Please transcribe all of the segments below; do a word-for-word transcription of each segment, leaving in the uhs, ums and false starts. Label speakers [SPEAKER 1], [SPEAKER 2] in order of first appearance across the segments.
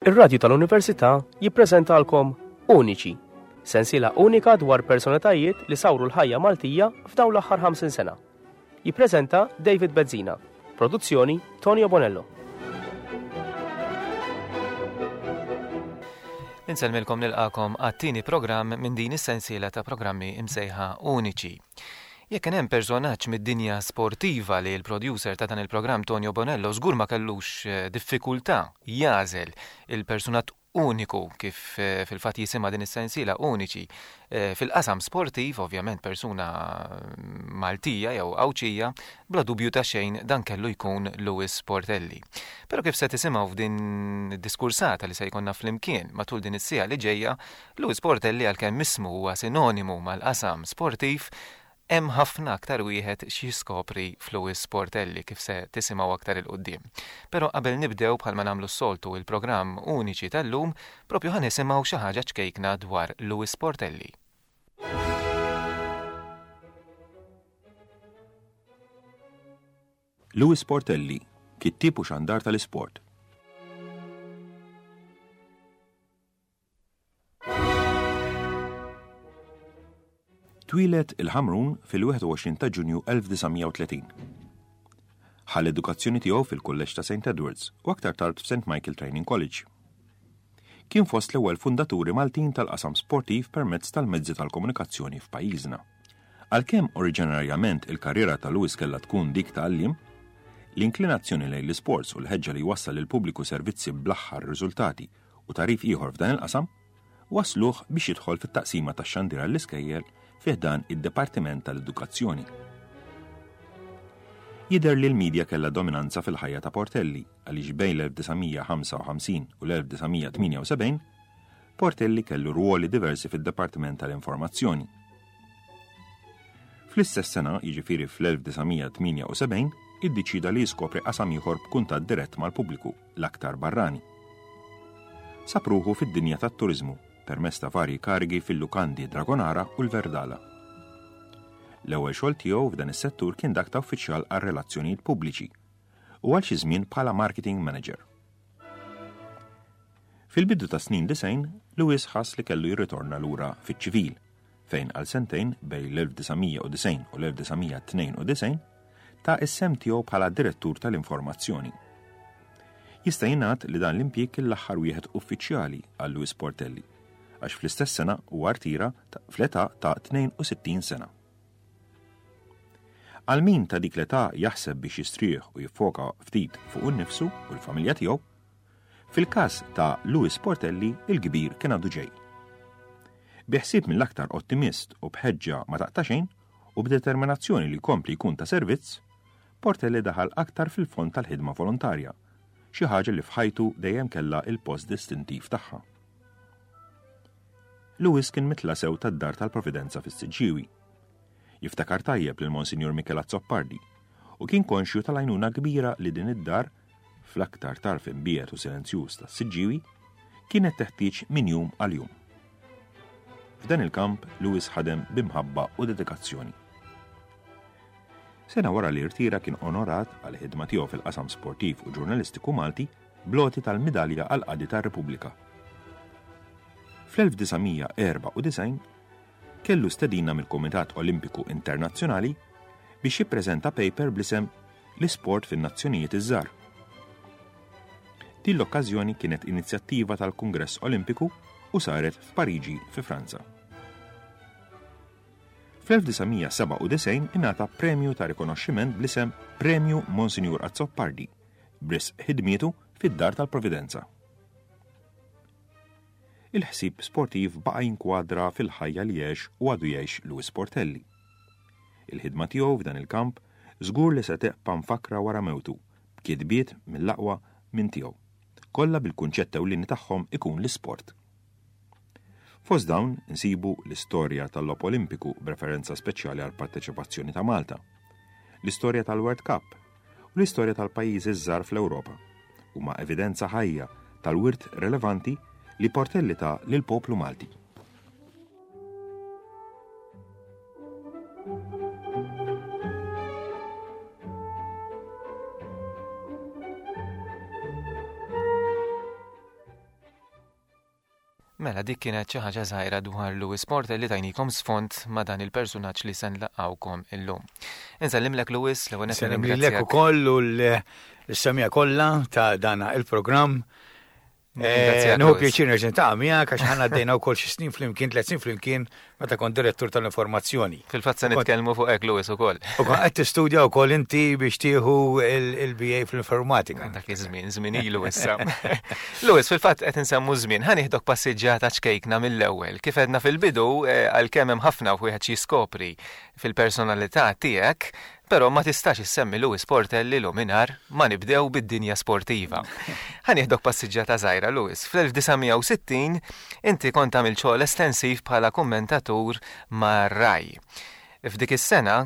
[SPEAKER 1] Ir-Radju tal-Università jippreżentalkom Uniċi, sensiela unika dwar personalitajiet li sawru l-ħajja Maltija f'dawn l-aħħar ħamsin sena. Jippreżenta David Bezzina, produzzjoni Tonio Bonello.
[SPEAKER 2] Insellmilkom, nilqagħkom għat-tieni programm minn din is-sensiela ta' programmi imsejħa Uniċi. Jekk kien hemm personaġġ mid-dinja sportiva li l-producer ta' dan il-programm Tonio Bonello żgur ma kellux eh, diffikultà jagħżel il-personaġġ uniku, kif eh, fil-fatt jisimha din is-sensiela Uniċi, eh, fil-qasam sportiv, ovvjament persuna Maltija jew Għawdxija, bla dubju ta' xejn dan kellu jkun Louis Portelli. Però kif se tisimgħu f'din id-diskursata li se jkollna flimkien matul din is-siegħa li ġejja, Louis Portelli, għalkemm ismu huwa sinonimu mal-qasam sportiv, hemm ħafna aktar wieħed x'jiskopri f'Louis Portelli, kif se tisimgħu aktar 'il quddiem. Però qabel nibdew, bħalma nagħmlu s-soltu, il-programm Uniċi tal-lum, propju ħa nisimgħu xi ħaġa ċkejkna dwar Louis Portelli.
[SPEAKER 3] Louis Portelli, kittieb u xandar tal-isport. Twieled il-Ħamrun fil-wieħed u għoxrin ta' Ġunju elf disa' mija u tletin. Ħa l-edukazzjoni tiegħu fil-Kulleġġ ta' Saint Edwards u aktar tard f'Saint Michael Training College. Kien fost l-ewwel fundaturi Maltin tal-qasam sportiv permezz tal-mezzi tal-komunikazzjoni f'pajjiżna. Għalkemm oriġinarjament il-karriera ta' Louis kellha tkun dik ta' għalliem, l-inklinazzjoni lejn l-isports u l-ħeġġa li jwassal lill-pubbliku servizzi bl-aħħar riżultati u tagħrif ieħor f'dan il-qasam wasluh biex jidħol fit-taqsima tax-xandir għall-iskejjel fi ħdan id-Dipartiment tal-Edukazzjoni. Jidher li l-medja kellha dominanza fil-ħajja ta' Portelli, għaliex bejn l-elf disa' mija ħamsa u ħamsin u l-elf disa' mija tmienja u sebgħin Portelli kellu ruoli diversi fid-Dipartiment tal-Informazzjoni. Fl-istess sena, jiġifieri fl-elf disa' mija tmienja u sebgħin, iddeċida li jiskopri qasam ieħor b'kuntatt dirett mal-pubbliku, l-aktar barrani. Sab ruħu fid-dinja tat-turizmu permezz ta' varji karigi fil-lukandi Dragonara u l-Verdala. L-ewwel xogħol tiegħu f'dan is-settur kien dak ta' uffiċjal għar relazzjonijiet pubbliċi u għal xi żmien bħala marketing manager. Fil-bidu ta' snin disgħin, Louis ħass li kellu jirritorna lura fiċ-ċivil, fejn għal sentejn bejn l-elf disa' mija u disgħin u l-elf disa' mija tnejn u disgħin ta s-sehem tiegħu bħala direttur tal-informazzjoni. Jista' jingħad li dan l-impjieg kien l-aħħar wieħed uffiċjali għal Louis Portelli, għax fl-istess sena huwa rtira fl-età ta' tnejn u sittin sena. Għal min ta' dik l-età jaħseb biex jistrieħ u jiffoka ftit fuq innifsu u l-familja tiegħu, fil-każ ta' Louis Portelli il-kbir kien għadu ġej. Bi ħsieb mill-aktar ottimist u bħeġġa ma taqta' xejn u b'determinazzjoni li jkompli jkun ta' servizz, Portelli daħal aktar fil-fond tal-ħidma volontarja, xi ħaġa li f'ħajtu dejjem kellha il-post distintiv tagħha. Louis kien mitla sew tad-dar tal-Providenza fis-Siġġiewi. Jiftakar tajjeb lil Monsinjur Michel Azzopardi u kien konxju tal-għajnuna kbira li din id-dar, fl-aktar tarf imbiegħed u silenzjuż tas-Siġġiewi, kienet teħtieġ minn jum għal jum. F'dan il-kamp Louis ħadem b'imħabba u dedikazzjoni. Sena wara li rtira kien onorat għal ħidma tiegħu fil-qasam sportiv u ġurnalistiku Malti bl-għoti tal-Midalja għal Qadi tar-Repubblika. Fl-elf disa' mija erbgħa u disgħin kellu stedina mill-Kumitat Olimpiku Internazzjonali biex jippreżenta paper bl-isem "L-Isport fin-Nazzjonijiet iż-Żgħar". Din l-okkażjoni kienet inizjattiva tal-Kungress Olimpiku u saret f'Pariġi fi Franza. Fl-elf disa' mija sebgħa u disgħin ingħata premju ta' rikonoxximent bl-isem Premju Monsinjur Azzopardi b'risq ħidmietu fid-Dar tal-Providenza. Il-ħsieb sportiv baqa' jinkwadra fil-ħajja li għex u għadu jgħix Louis Portelli. Il-ħidma tiegħu f'dan il-kamp żgur li se tibqa' mfakra wara mewtu b'kitbiet mill-aqwa minn tiegħu. Kollha bil-kunċett ewlieni tagħhom ikun l-isport. Fost dawn insibu l-istorja tal-Logħob Olimpiku b'referenza speċjali għal parteċipazzjoni ta' Malta, l-istorja tal-World Cup u l-istorja tal-pajjiżi żgħar fl-Ewropa. Huma evidenza ħajja tal-wirt relevanti li Portelli ta lil poplu Malti.
[SPEAKER 2] Mela, dik kienet xi ħaġa żgħira dwar Louis Portelli li tajnikom sfond ma' dan il-persunaġġ li se nlaqgħukom illum. Insellimlek, Louis, l-ewwel nett.
[SPEAKER 4] Sellem lilek ukoll u l-semmiegħa kollha ta' dana il-programm.
[SPEAKER 2] Ringrazzjak,
[SPEAKER 4] Nieħu
[SPEAKER 2] Louis.
[SPEAKER 4] pjaċir nerġa' niltaqa' miegħek għax ħana għaddejna wkoll xi snin flimkien, tliet snin flimkien meta kont direttur tal-informazzjoni.
[SPEAKER 2] Fil-fatt se nitkellmu fuq hekk, Louis, ukoll.
[SPEAKER 4] U kont qed tistudja wkoll inti biex tieħu il-B A fl-informatika.
[SPEAKER 2] Dak iż-żmien, żmien ilu issa. Louis, fil-fatt qed insemmu żmien, ħa nieħdok passiġġata ċkejkna mill-ewwel. Kif għedna fil-bidu, eh, għalkemm hemm ħafna wieħed xi jiskopri fil-personalità tiegħek, però ma tistax issemmi Louis Portelli mingħajr ma nibdew bid-dinja sportiva. Ħa nieħdok passiġġata żgħira, Louis. Fl-elf disa' mija u sittin inti kont għamil xogħol estensiv bħala kummentatur mar-Rai. F'dik is-sena,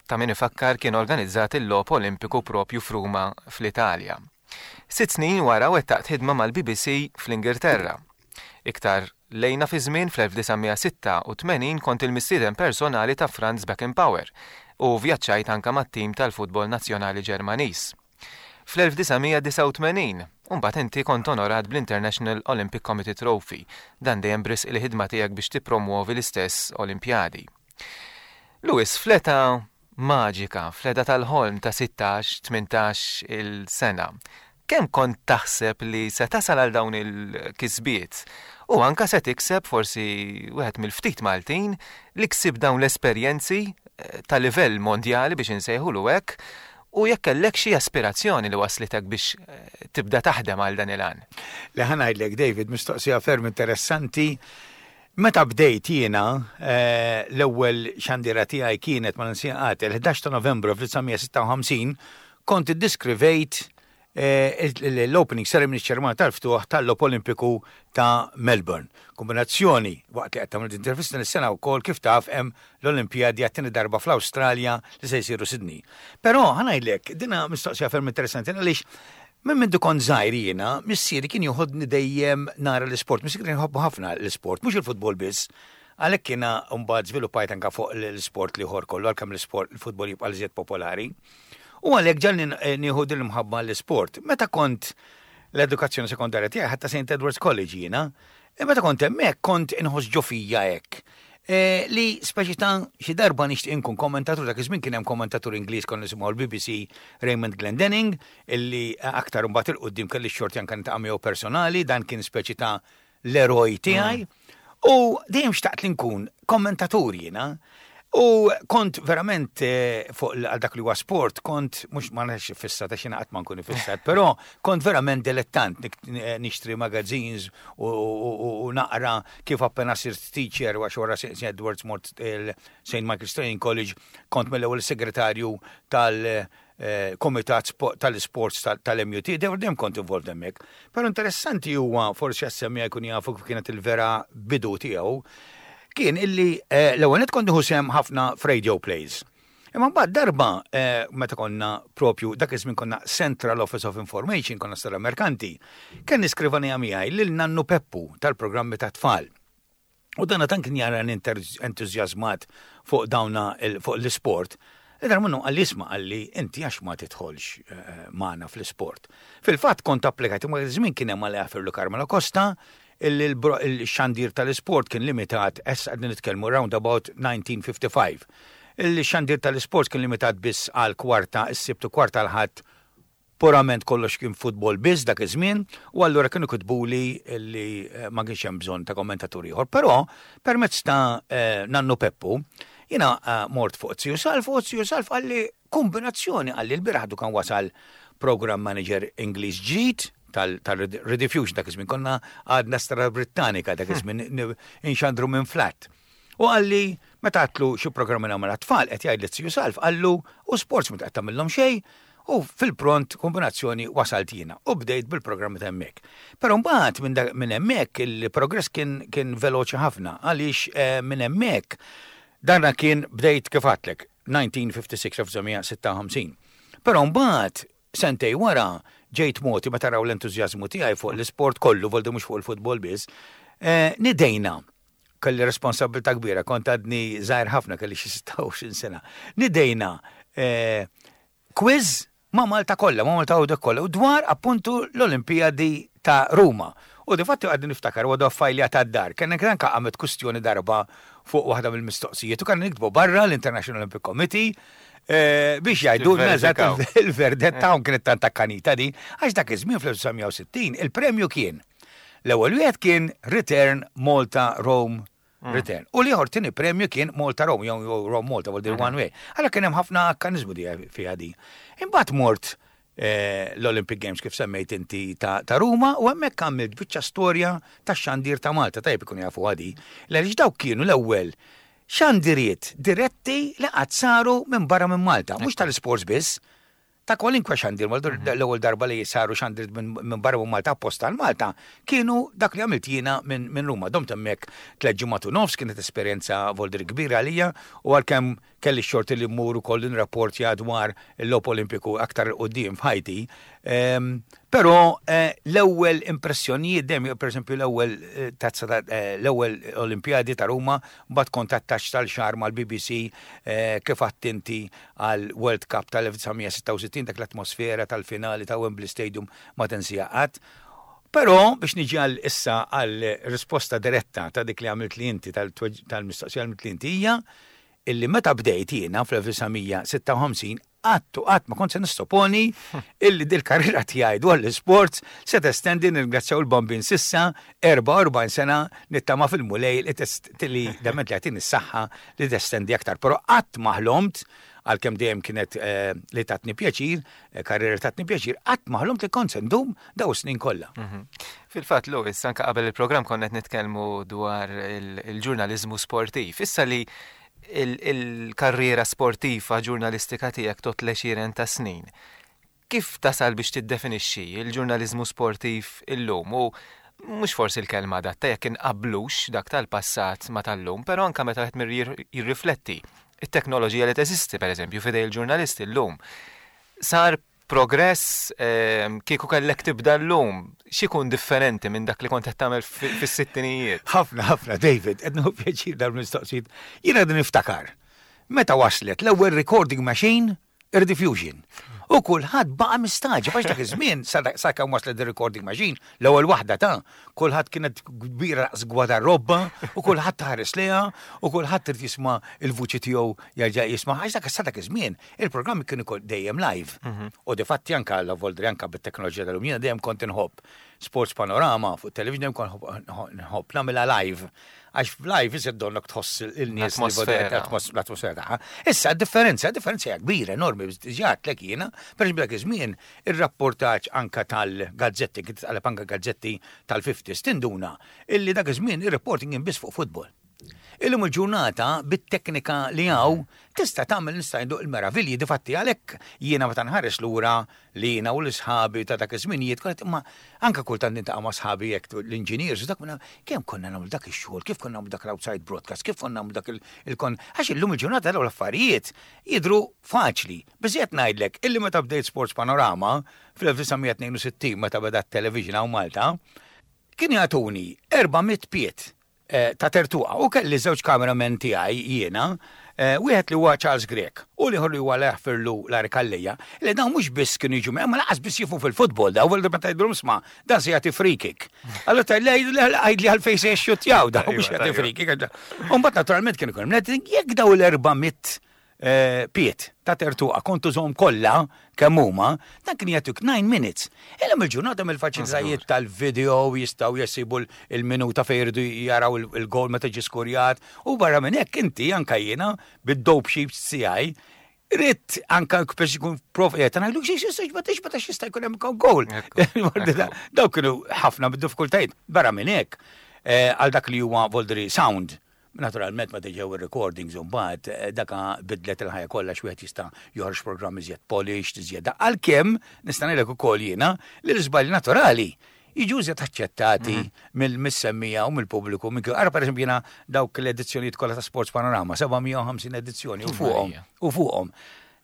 [SPEAKER 2] ta' min ifakkar, kien organizzat il-Logħob Olimpiku propju f'Ruma fl-Italja. Sitt snin wara wettaqt ħidma mal-B B C fl-Ingilterra. Iktar lejna fi żmien fl-elf disa' mija sitta u tmenin kont il-mistieden personali ta' Franz Beckenbauer u vjaġġajt anka mat-tim tal-futbol nazzjonali Ġermaniż. Fl-elf disa' mija disgħa u tmenin, mbagħad inti kont onorat bl-International Olympic Committee Trophy, dan dejjem b'risq il-ħidma tiegħek biex tippromuovi l-istess Olimpjadi. Louis, fl-età maġika, fl-età tal-ħolm ta' sittax tmintax il-sena, kemm kont taħseb li se tasal għal dawn il-kisbiet? U anka se tikseb forsi wieħed mill-ftit Maltin li ksib dawn l-esperjenzi eh, ta' livell mondjali, biex insejħulu hekk, u jekk kellek xi aspirazzjoni li waslitek biex eh, tibda taħdem għal dan il-għan.
[SPEAKER 4] Li ħa ngħidlek, David, mistoqsija ferm interessanti. Meta bdejt jiena, eh, l-ewwel xandira tiegħi kienet, ma ninsiha qatt, il-ħdax ta' Novembru fl-elf disa' mija sitta u ħamsin kont iddiskrivejt eh, l-opening ceremony, ċermonja tal-ftuħ tal-Logħob Olimpiku ta' Melbourne. Kombinazzjoni, waqt li qed tagħmel intervista nis-sena wkoll, kif taf, hemm l-Olimpjadi għat-tieni darba fl-Awstralja li se jsiru Sydney. Però ħa ngħidlek, dina mistoqsija ferm interessanti għaliex minn mindu kont żgħir jiena, missieri kien joħodni dejjem nara l-isport. Missieri kien jħobbu ħafna l-isport, mhux il-futbol biss. Għalhekk kiena mbagħad żviluppajt anka fuq l-isport l-ieħor kollu, għalkemm l-isport, il-futbol jibqa' l popolari. U għalhekk ġalni nieħu din l-imħabba l-isport. Meta kont l-edukazzjoni sekondarja tiegħi ħadtha Saint Edward's College jiena, e meta kont hemmhekk kont inħoss ġo fija hekk. E, li speċi ta' xi darba nixtieq inkun kommentatur. Dak iż-żmien kien hemm kommentatur Ingliż konna nisimgħu l-B B C, Raymond Glendenning, illi aktar mbagħad 'il quddiem kelli x-xorti anke niltaqa' miegħu personali, dan kien speċi ta' l-eroj tiegħi. U dejjem xtaqt li nkun kommentatur jiena. U kont verament eh, fuq għal dak li huwa sport, kont mhux ma nafx fissat għax jiena qatt ma nkun fissat, però kont verament dilettant nixtri magazines u, u, u naqra kif appena sirt teacher, għax wara Saint Edwards mort il-Saint Michael's Training College, kont mill-ewwel segretarju tal- eh, komitat tal-sports tal-M U T, dejjem kont involved hemmhekk. Però interessanti huwa, forsi għas-semmiegħa jkun jafu kif kienet il-vera bidu tiegħu, kien illi eh, l-ewwel nett kont nieħu sehem ħafna f'radio plays. Imma mbagħad darba eh, meta konna propju dak iż-żmien konna Central Office of Information, konna Strada Merkanti, kien iskrivanija miegħi lil Nannu Peppu tal-programmi ta' tfal. U dana tan kien jara entużjażmat fuq dawna fuq l-isport. Darba minnu qalli, "Isma'," qalli, "inti għax ma tidħolx eh, magħna fl-isport?" Fil-fatt kont applikajt, imma żmien kien hemm għal Carmelo Costa, il-xandir tal-isport kien limitat, issa qegħdin nitkellmu round about nineteen fifty-five. Il-xandir tal-isport kien limitat biss għal kwarta is-Sibt u kwarta l-Ħadd, purament kollox kien futbol biss dak iż-żmien, u allura kienu kitbuli li eh, ma kienx hemm bżonn ta' kommentatur ieħor. Però permezz ta' eh, Nannu Peppu, jiena eh, mort fuq Ziju Salv u Ziju Salv qalli, "Kombinazzjoni," qalli, "l-bieraħ kan wasal program manager Ingliż ġdid tal-Rediffusion." Dak iż-żmien konna għadna Strada Brittanika, dak iż-żmien inxandru minn flat. U qalli, meta għedtlu xi programmi nagħmel tfal, qed jgħid li Ziju Salv, qallu, "U sports ma qed tagħmilhom xejn?" U fil-pront kombinazzjoni wasalt jiena u bdejt bil-programmi ta' hemmhekk. Però mbagħad minn hemmhekk il-progress kien kien veloċi ħafna għaliex eh, minn hemmhekk dana kien bdejt, kif għedtlek, elf disa' mija sitta u ħamsin. Però mbagħad sentejn wara ġejt moti, ma taraw l-entużjażmu tiegħi fuq l-isport kollu, voldi mhux fuq il-futbol biss, eh, nidejna, kelli responsabilità kbira, kont għadni żgħir ħafna, kelli xi sitta u għoxrin sena. Nidejna eh, quiz ma' Malta kollha, ma' Malta u kollha, u dwar appuntu l-Olimpijadi ta' Ruma. U di fatti għadni niftakar għadu fajli għad-dar. Kien anka għamet kustjoni darba fuq waħda mill-mistoqsijiet u kan niktbu barra l-International Olympic Committee eh, biex jgħidu il-verdett tagħhom. Kienet tant akkanita di, għax dak iż-żmien fl-elf disa' mija u sittin il-premju kien, l-ewwel wieħed kien return Malta Rome mm. return. U l-ieħor tieni premju kien Malta Rome, jew Rome Malta, vuol dire one way. Allora kien hemm ħafna akkanizmu di fiha di. Imbagħad mort eh, l-Olympic Games, kif semmejt inti, ta', ta Ruma u hemmhekk għamilt biċċa storja ta' xandir ta' Malta, tajjeb ikun jafu għadi. Għaliex dawk kienu l-ewwel xandiriet diretti li qatt saru minn barra minn Malta, mhux tal-sports biss, ta' kwalinkwa xandir, mhm. l-ewwel darba li saru xandir minn barra minn Malta apposta għal Malta, kienu dak li għamilt jiena minn Ruma. Domt hemmhekk tliet ġimgħat u nofs, kienet esperjenza voldir kbira għalija u għalkemm kelli xorti li mmur ukoll nirrapportja dwar il-Logħob Olimpiku aktar quddiem f'ħajti. Ehm, però eh, l-ewwel impressjonijiet dejjem, pereżempju l-ewwel eh, tazza, eh, l-ewwel Olimpjadi ta' Ruma, mbagħad kont attaché tal-xahar mal-B B C, kif attenti għal World Cup tal-elf disa' mija u sitta u sittin, dak l-atmosfera tal-finali ta' Wembley Stadium ma tinsieha qatt. Però biex niġi għal issa għal risposta diretta ta' dik li għamilt li inti, tal-mistoqsija għamilt li inti, hija illi meta bdejt jiena fl-elf disa' mija u sitta u ħamsin qatt u qatt ma kont se nissoponi illi dil-karriera tiegħi dwar l-sports se testendi, nirringrazzjaw il-Bambin, s'issa erbgħa u erbgħin sena, nittama fil-Mulej li dament li jagħtini s-saħħa li testendi aktar. Però qatt ma ħlomt, għalkemm dejjem kienet eh, li tatni pjaċir, eh, karriera tatni pjaċir, qatt ma ħlomt li kont se ndum daw snin kollha.
[SPEAKER 2] Mhm. Fil-fatt, Louis, anka qabel il-programm konna nitkellmu dwar il-ġurnaliżmu sportiv. Issa li il-karriera sportiva ġurnalistika tiegħek tot l ta' snin. Kif tasal biex tiddefinixxi il-ġurnaliżmu sportiv illum? U mhux forsi l-kelma adatta jekk inqablux dak tal-passat ma tal-lum, però anka meta qed jirrifletti it-teknoloġija li teżisti, pereżempju, f'idej il-ġurnalisti llum. Sar progress? ehm, kieku kellek tibda llum, x'ikun differenti minn dak li kont qed tagħmel fis-sittinijiet?
[SPEAKER 4] Ħafna, ħafna, David, qed nieħu pjaċir dal-mistoqsijiet. Jiena qed niftakar meta waslet l-ewwel recording machine Rediffusion. U kulħadd baqa' mistagħġeb għax dak iż-żmien sa kemm waslet ir-recording machine, l-ewwel waħda ta' kulħadd kienet kbira daqs gwadarrobba u kulħadd taħares lejha u kulħadd irid jisma' il-vuċi tiegħu, jerġa' jisma' għax dak sa dak iż-żmien il-programmi kienu dejjem live. Mhm. U difatti anka l voldri anka bit-teknoloġija tal-lum, jiena dejjem kont inħobb Sports Panorama fuq television, dejjem kont nħobb nagħmilha live, għax live iżid donnok tħoss il-nies, l-atmosfera tagħha. Issa differenza, differenza hija kbira, enormi, ġat lek jiena, per dak iż-żmien ir-rapportaġġ anka tal-gazzetti, kien tqaleb anka gazzetti tal-fifties, tinduna illi dak iż-żmien ir-reporting kien biss fuq futbol. Illum il-ġurnata bit-teknika li hawn tista' tagħmel, nista' ngħidu, il-meravilji. Difatti għalhekk jiena meta nħares lura li jiena u l-isħabi ta' dak iż-żminijiet kont, imma anke kultant nintaqa' ma' sħabi jekk l-engineers u dak minna kemm konna nagħmlu dak ix-xogħol, kif konna nagħmlu dak l-outside broadcast, kif konna nagħmlu dak il-kon, għax illum il-ġurnata dawn l-affarijiet jidru faċli. Biżejjed ngħidlek illi meta bdejt Sports Panorama fl-elf disa' mija u tnejn u sittin, meta beda t-television hawn Malta, kien jagħtuni erba' mitt pied Eh, ta' tertuqa u kelli żewġ cameramen tiegħi jiena, eh, wieħed li huwa Charles Grech u l-ieħor li huwa Leħfirlu Larry Calleja, li dawn mhux biss kienu jiġu, ma lanqas biss jifhmu fil-futbol daw, għal meta jgħidulhom, "Isma', dan se jagħti free kick." Allura tgħidli għalfejn se jxuttjaw daw biex jagħti free kick. U mbagħad naturalment kienu jkun jekk daw l-erba' mitt Eh, pied ta' tertuqa kontu żomm kollha kemm huma, dan kien jagħtuk nine minutes. Illum il-ġurnata mill-faċilitajiet tal-video jistgħu jesibu il-minuta fejn jridu jaraw il-gol meta ġie skurjat u barra minn hekk inti, anka jiena bid-dope sheets tiegħi, Ritt anka biex ikun prof, jgħet ngħidu xi xi ma tix ma jista' jkun hemm gol. Dawk kienu ħafna bid-diffikultajiet. Barra minn hekk, eh, għal dak li huwa voldri sound. Naturalment ma ġew ir-recordings u mbagħad eh, daka bidlet il-ħajja kollha, x'wieħed jista' joħroġ programm iżjed polished, iżjed, għalkemm nista' ngħidlek ukoll jiena li l-iżbalji naturali jiġu iżjed aċċettati mhm. mill-missemmija u mill-pubbliku. Ara, per eżempju, jiena dawk l-edizzjonijiet kollha ta' Sports Panorama, seba' mija u ħamsin edizzjoni u fuqhom u fuqhom.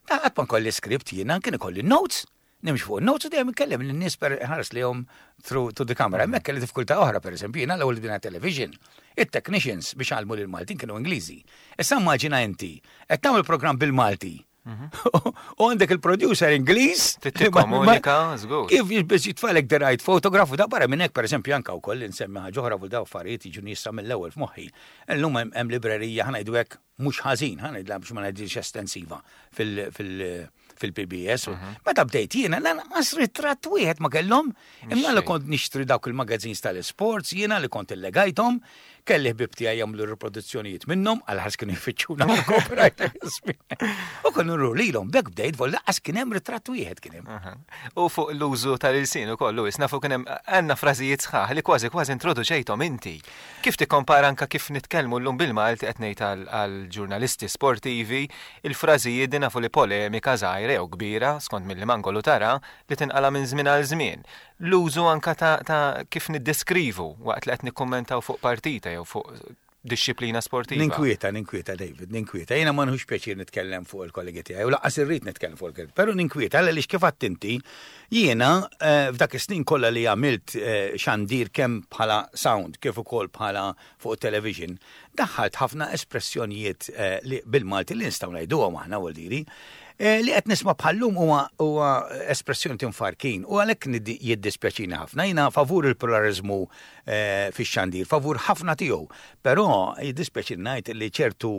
[SPEAKER 4] Qatt ma nkolli script jiena, kien ikolli notes, nimx fuq notes u dejjem ikellem lin-nies per ħares lejhom through to the camera. Hemmhekk kelli diffikultà oħra, pereżempju, jiena l-ewwel bdejna television. It-technicians biex għallmu lil Maltin kienu Ingliżi. Issa immaġina inti qed tagħmel programm bil-Malti. U għandek il-producer Ingliż.
[SPEAKER 2] Tikkomunika, żgur.
[SPEAKER 4] Kif biex jitfagħlek the right photograph, u da barra minn hekk, pereżempju, anke wkoll insemmi ħaġa oħra fuq daw affarijiet jiġu nisa mill-ewwel f'moħħi. Illum hemm librerija, ħa ngħidu hekk, mhux ħażin, ħa ngħidla biex ma ngħidx estensiva fil-P B S. Meta bdejt jiena lanqas ritratt wieħed ma kellhom, imma li kont nixtri dawk il-magazines tal-sports, jiena li kont illegajthom, kelli ħbib tiegħi jagħmlu riproduzzjonijiet minnhom, għal ħars kienu jfittxuna copyright. U kont nuru lilhom, bek bdejt vol lanqas kien hemm ritratt wieħed kien hemm.
[SPEAKER 2] U fuq l-użu tal-ilsien ukoll, Louis, nafu kien hemm għandna frażijiet sħaħ li kważi kważi introduċejthom inti. Kif tikkompara anka kif nitkellmu llum bil-Malti, qed ngħid għal-ġurnalisti sportivi, il-frażijiet din nafu li polemika żgħira jew kbira, skont mill-angolu tara, li tinqala minn żmien għal żmien. L-użu anka ta', ta kif niddeskrivu waqt li qed nikkummentaw fuq partita jew fuq dixxiplina sportiva.
[SPEAKER 4] Ninkwieta, ninkwieta, David, ninkwieta. Jiena ma nħux pjaċir nitkellem fuq il-kollegi tiegħi, u lanqas irrid nitkellem fuq il-kollegi, però ninkwieta għaliex kif għedt inti, jiena eh, f'dak is-snin kollha li għamilt eh, xandir kemm bħala sound kif ukoll bħala fuq television, daħħalt ħafna espressjonijiet eh, li bil-Malti li nistgħu ngħiduhom aħna vuldiri li qed nisma' bħallum huwa huwa espressjoni tinfarkin u għalhekk jiddispjaċini ħafna. Jiena favur il-pluralizmu fix-xandir, favur ħafna tiegħu, però jiddispjaċini ngħid li ċertu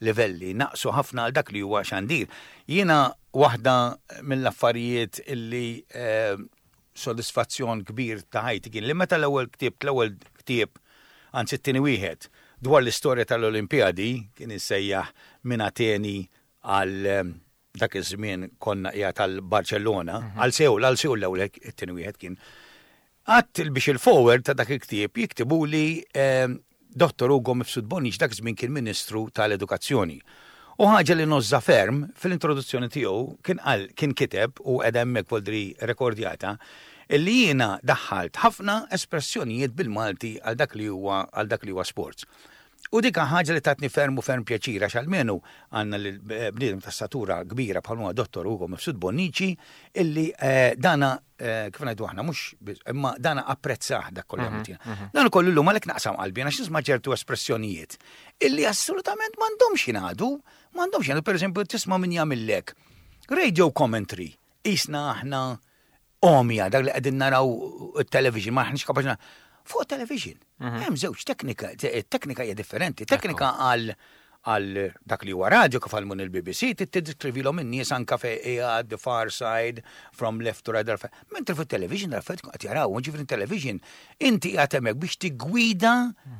[SPEAKER 4] livelli naqsu ħafna għal dak li huwa xandir. Jiena waħda mill-affarijiet illi sodisfazzjon kbir ta' ħajti kien li meta l-ewwel ktieb, l-ewwel ktieb, anzi t-tieni wieħed, dwar l-istorja tal-Olimpjadi, kien issejjaħ Minn Ateni għal dak iż-żmien konna qiegħed tal-Barcellona, għal Seul, għal Seul l-ewwel it-tieni wieħed kien. Għedt biex il-foreword ta' dak il-ktieb jiktibu li Dottor Ugo Mifsud Bonnici, dak iż-żmien kien Ministru tal-Edukazzjoni. U ħaġa li ngħożżha ferm, fil-introduzzjoni tiegħu kien qal, kien kiteb u qed hemmhekk voldri rekordjata, illi jiena daħħalt ħafna espressjonijiet bil-Malti għal dak li huwa għal dak li huwa sports. U dik ħaġa li tatni ferm u ferm pjaċir għax almenu għandna l-bniedem ta' statura kbira bħal huwa Dottor Ugo Mifsud Bonnici illi dana, kif ngħidu aħna, mhux imma dana apprezzah dak kollu għamilt jiena. Dan ukoll illum għalhekk naqsam qalbi għax nisma' ċertu espressjonijiet illi assolutament m'għandhomx jingħadu, m'għandhomx jingħadu. Pereżempju, tisma' min jagħmillek radio commentary, isna aħna omja dak li qegħdin naraw it-television, ma aħniex kapaċi fuq television. Hemm żewġ teknika, teknika hija differenti. Teknika għal għal dak li huwa radio kif għal il-B B C tiddeskrivilhom in-nies anka fejn qiegħed, the far side, from left to right. Mentri fuq television dal-affarijiet qed jaraw, ġifieri television inti qiegħed hemmhekk biex tigwida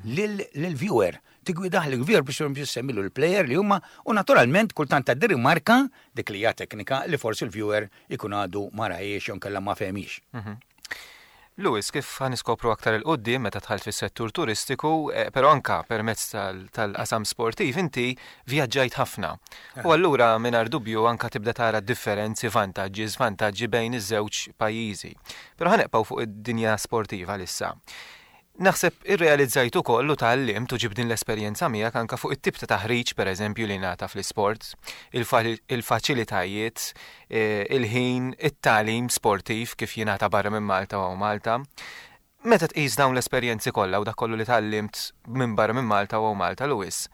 [SPEAKER 4] lill-viewer. Tigwidah l-viewer biex biex semmilu l-player li huma u naturalment kultant tgħaddi rimarka dik li hija teknika li forsi l-viewer ikun għadu ma rahiex jew kellha ma fehmix.
[SPEAKER 2] Louis, kif ħa niskopru aktar 'il quddiem meta dħalt fis-settur turistiku, eh, però anka permezz tal-qasam sportiv inti vjaġġajt ħafna. U allura mingħajr dubju anka tibda tara differenzi, vantaġġi, żvantaġġi bejn iż-żewġ pajjiżi. Però ħa nibqgħu fuq id-dinja sportiva issa. Naħseb irrealizzajt ukoll u tgħallimt u ġib din l-esperjenza miegħek anka fuq it-tip ta' taħriġ, pereżempju, li ngħata fl-isport, il-faċilitajiet, eh, il-ħin, it-tagħlim sportiv kif jingħata barra minn Malta u Malta. Meta tqis dawn l-esperjenzi kollha u dak kollu li tgħallimt minn barra minn Malta u Malta, Louis,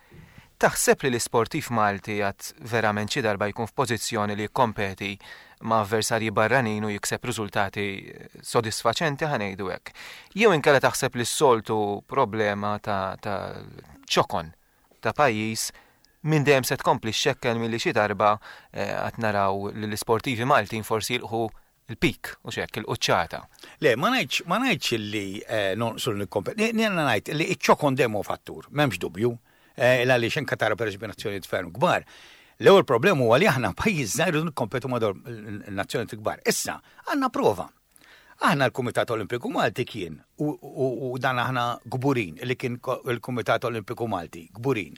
[SPEAKER 2] taħseb li l-isportiv Malti għad verament xi darba jkun f'pożizzjoni li jikkompeti ma' avversarji barranin u jikseb riżultati sodisfaċenti, ħa ngħidu hekk? Jew inkella taħseb li s-soltu problema ta' ta' ċokon ta' pajjiż minn dejjem se tkompli xekkel milli xi darba eh, għad naraw li l-isportivi Maltin forsi jilħqu il-pik u xek, il-quċċata?
[SPEAKER 4] Le, ma ngħidx ma ngħidx li eh, nonqsu nikkompeti. Jiena ngħid li iċ-ċokon demo fattur, m'hemmx dubju. Eh, għaliex anke tara pereżempju nazzjonijiet ferm kbar. L-ewwel problema huwa li aħna pajjiż żgħir u nikkompetu ma' nazzjonijiet kbar. Issa, għandna prova. Aħna l-Kumitat Olimpiku Malti kien, u, u, u dan aħna kburin, li kien il-Kumitat Olimpiku Malti, kburin,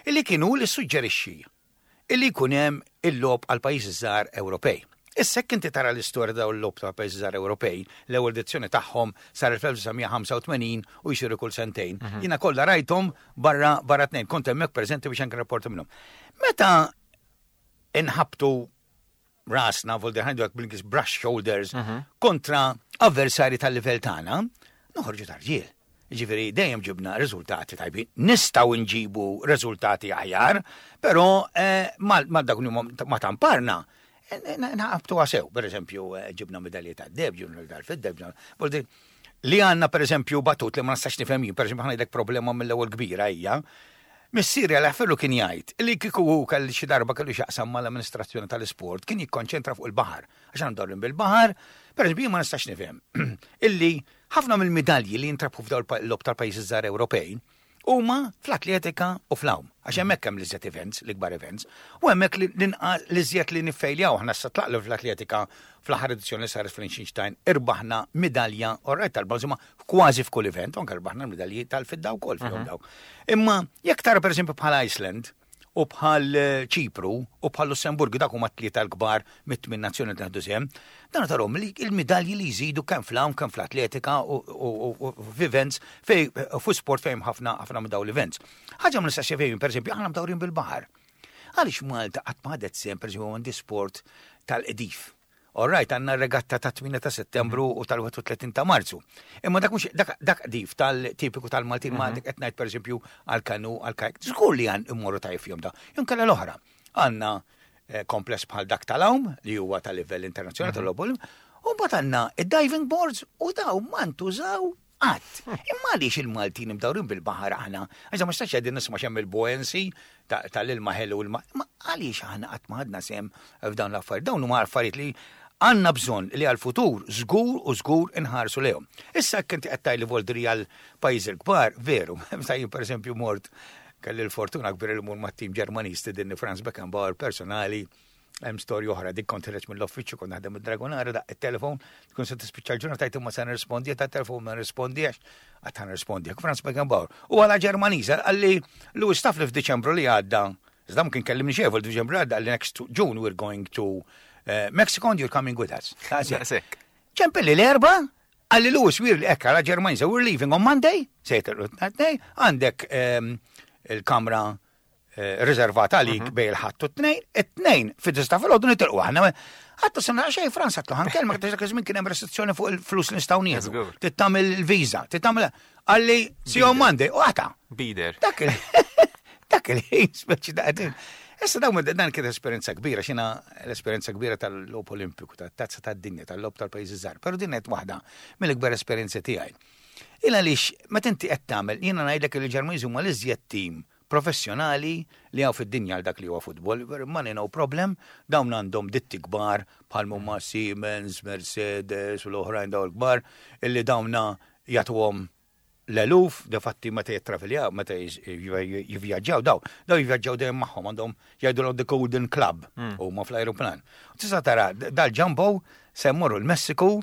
[SPEAKER 4] illi kienu li suġġerixxi illi jkun hemm il-logħob għal pajjiżi żgħar Ewropej. Issa jekk inti tara l-istorja dawn il-logħob ta' pajjiżi żgħar Ewropej, l-ewwel edizzjoni tagħhom sar il-elf disa' mija ħamsa u tmenin u jsiru kull sentejn. Jiena kollha rajthom barra barra tnejn, kont hemmhekk preżenti biex anke rapporti minnhom. Meta inħabtu rasna, vol ħa ngħidu bil brush shoulders, kontra avversari tal-livell tagħna, noħorġu tarġiel. Ġifieri dejjem ġibna riżultati tajbin. Nistgħu nġibu riżultati aħjar, però eh, ma dak ma tamparna. Nħabtu sew, per eżempju, eh, ġibna medalji ta' deheb, ġibna tal-fidda, ġibna. Li għandna, per eżempju, batut li ma nistax nifhem jien, per eżempju, ħa ngħidlek problema mill-ewwel kbira hija. Missieri għal ferru kien jgħid li kieku hu kelli xi darba kellu x'jaqsam mal-amministrazzjoni tal-isport kien jikkonċentra fuq il-baħar. Għax għandhom bil-baħar, per eżempju, ma nistax nifhem illi ħafna mill-midalji li jintrabħu f'dawn il-logħob tal-pajjiżi żgħar Ewropej huma fl-atletika u fl-għawm. Għax hemmhekk hemm l-iżjed events, l-ikbar events, u hemmhekk l-iżjed li niffejljaw aħna sa tlaqlu fl-atletika fl-aħħar edizzjoni li saret fl-Liechtenstein irbaħna midalja orrajt tal-bronż, imma kważi f'kull event, anke irbaħna medalji tal-fidda wkoll fihom mhm. dawk. Imma jekk tara, pereżempju, bħal Iceland u bħal eh, Ċipru u bħal Lussemburgu, dak huma tlieta l-kbar mit-tmien nazzjoni li ħadu sehem, dan tarhom li il-midalji li jżidu kemm fl-għawm, kemm fl-atletika u f'events fej fu sport fejn ħafna ħafna minn dawn l-events. Ħaġa ma nistax fejn, pereżempju, aħna mdawrin bil-baħar. Għaliex Malta qatt ma ħadet sehem, pereżempju, għandi sport tal-qdif? All right, għandna regatta ta' tmienja ta' settembru u tal-wieħed u tletin ta' Marzu. Imma dak mhux dak dak qdif tal-tipiku tal-Maltin, ma dik qed ngħid, pereżempju, għal-kanu, għal-kajk. Żgur li għan immorru tajjeb fihom da. Inkella l-oħra. Għandna eh, kompless bħal dak tal-għawm li huwa tal-livell internazzjonali tal-logħob, u mbagħad għandna id-diving boards u daw ma ntużaw qatt. Imma għaliex il-Maltin imdawrin bil-baħar aħna? Għax ma stax qegħdin nisma' xemm il-buoyancy tal-ilma ħelu ilma. Ma għaliex aħna qatt ma ħadna sehem f'dawn l-affarijiet? Dawn huma affarijiet li għandna bżonn li għal-futur żgur u żgur inħarsu lejhom. Issa jekk inti qed tgħidli voldri għal pajjiż il-kbar, veru, meta jien, pereżempju, mort, kelli l-fortuna kbira li mur mat-tim Ġermaniż din Franz Beckenbauer personali, hemm storja oħra, dik kont ħireġ mill-uffiċċju, kont naħdem id-Dragonara, daqq it-telefon, tkun se tispiċċa l-ġurnata, tajt imma se nirrispondi ta' telefon, ma nirrispondiex, għad ħa nirrispondi. Franz Beckenbauer. U għala Ġermaniż qalli, "Louis, taf li f'Diċembru li għadda, iżda mkien kellimni xejn, f'Diċembru li għadda qalli next June we're going to uh, Mexico and you're coming with us."
[SPEAKER 2] Daqshekk.
[SPEAKER 4] Ċempilli l-Erbgħa, qalli, "Louis, we're ekka la Ġermaniża, we're leaving on Monday," sejter għandek ehm, il-kamra eh, riservata għalik bejn il-Ħadd u t-Tnejn, it-Tnejn fid-disgħa filgħodu nitilqu aħna. Għattu sena xej Franz, għattu ħa nkellmek, dak iż-żmien kien hemm restrizzjoni fuq il-flus li nistgħu nieħdu.
[SPEAKER 2] Żgur.
[SPEAKER 4] Tittamil il-viża, tittamil qalli, "See you on Monday," u għata.
[SPEAKER 2] Bider.
[SPEAKER 4] Dak il dak il-ħin speċi da' Issa dawn dan kien esperjenza kbira, xina l-esperjenza kbira tal-logħob Olimpiku, tat-tazza tad-dinja, tal-logħob tal-pajjiżi żgħar, però din qed waħda mill-ikbar esperjenzi tiegħi. Il għaliex meta inti qed tagħmel, jiena ngħidlek li l-Ġermaniżi huma l-iżjed tim professjonali li hawn fid-dinja għal dak li huwa futbol, money no problem, dawn għandhom ditti kbar bħal huma Siemens, Mercedes u l-oħrajn dawn l-kbar, illi dawna jagħtuhom l-eluf, defatti meta jittraviljaw, meta jivvjaġġaw, daw, daw jivvjaġġaw dejjem magħhom, għandhom jgħidu the Golden Club, u ma fl-aeroplan. Tista' tara dal-jumbo se mmorru l-Messiku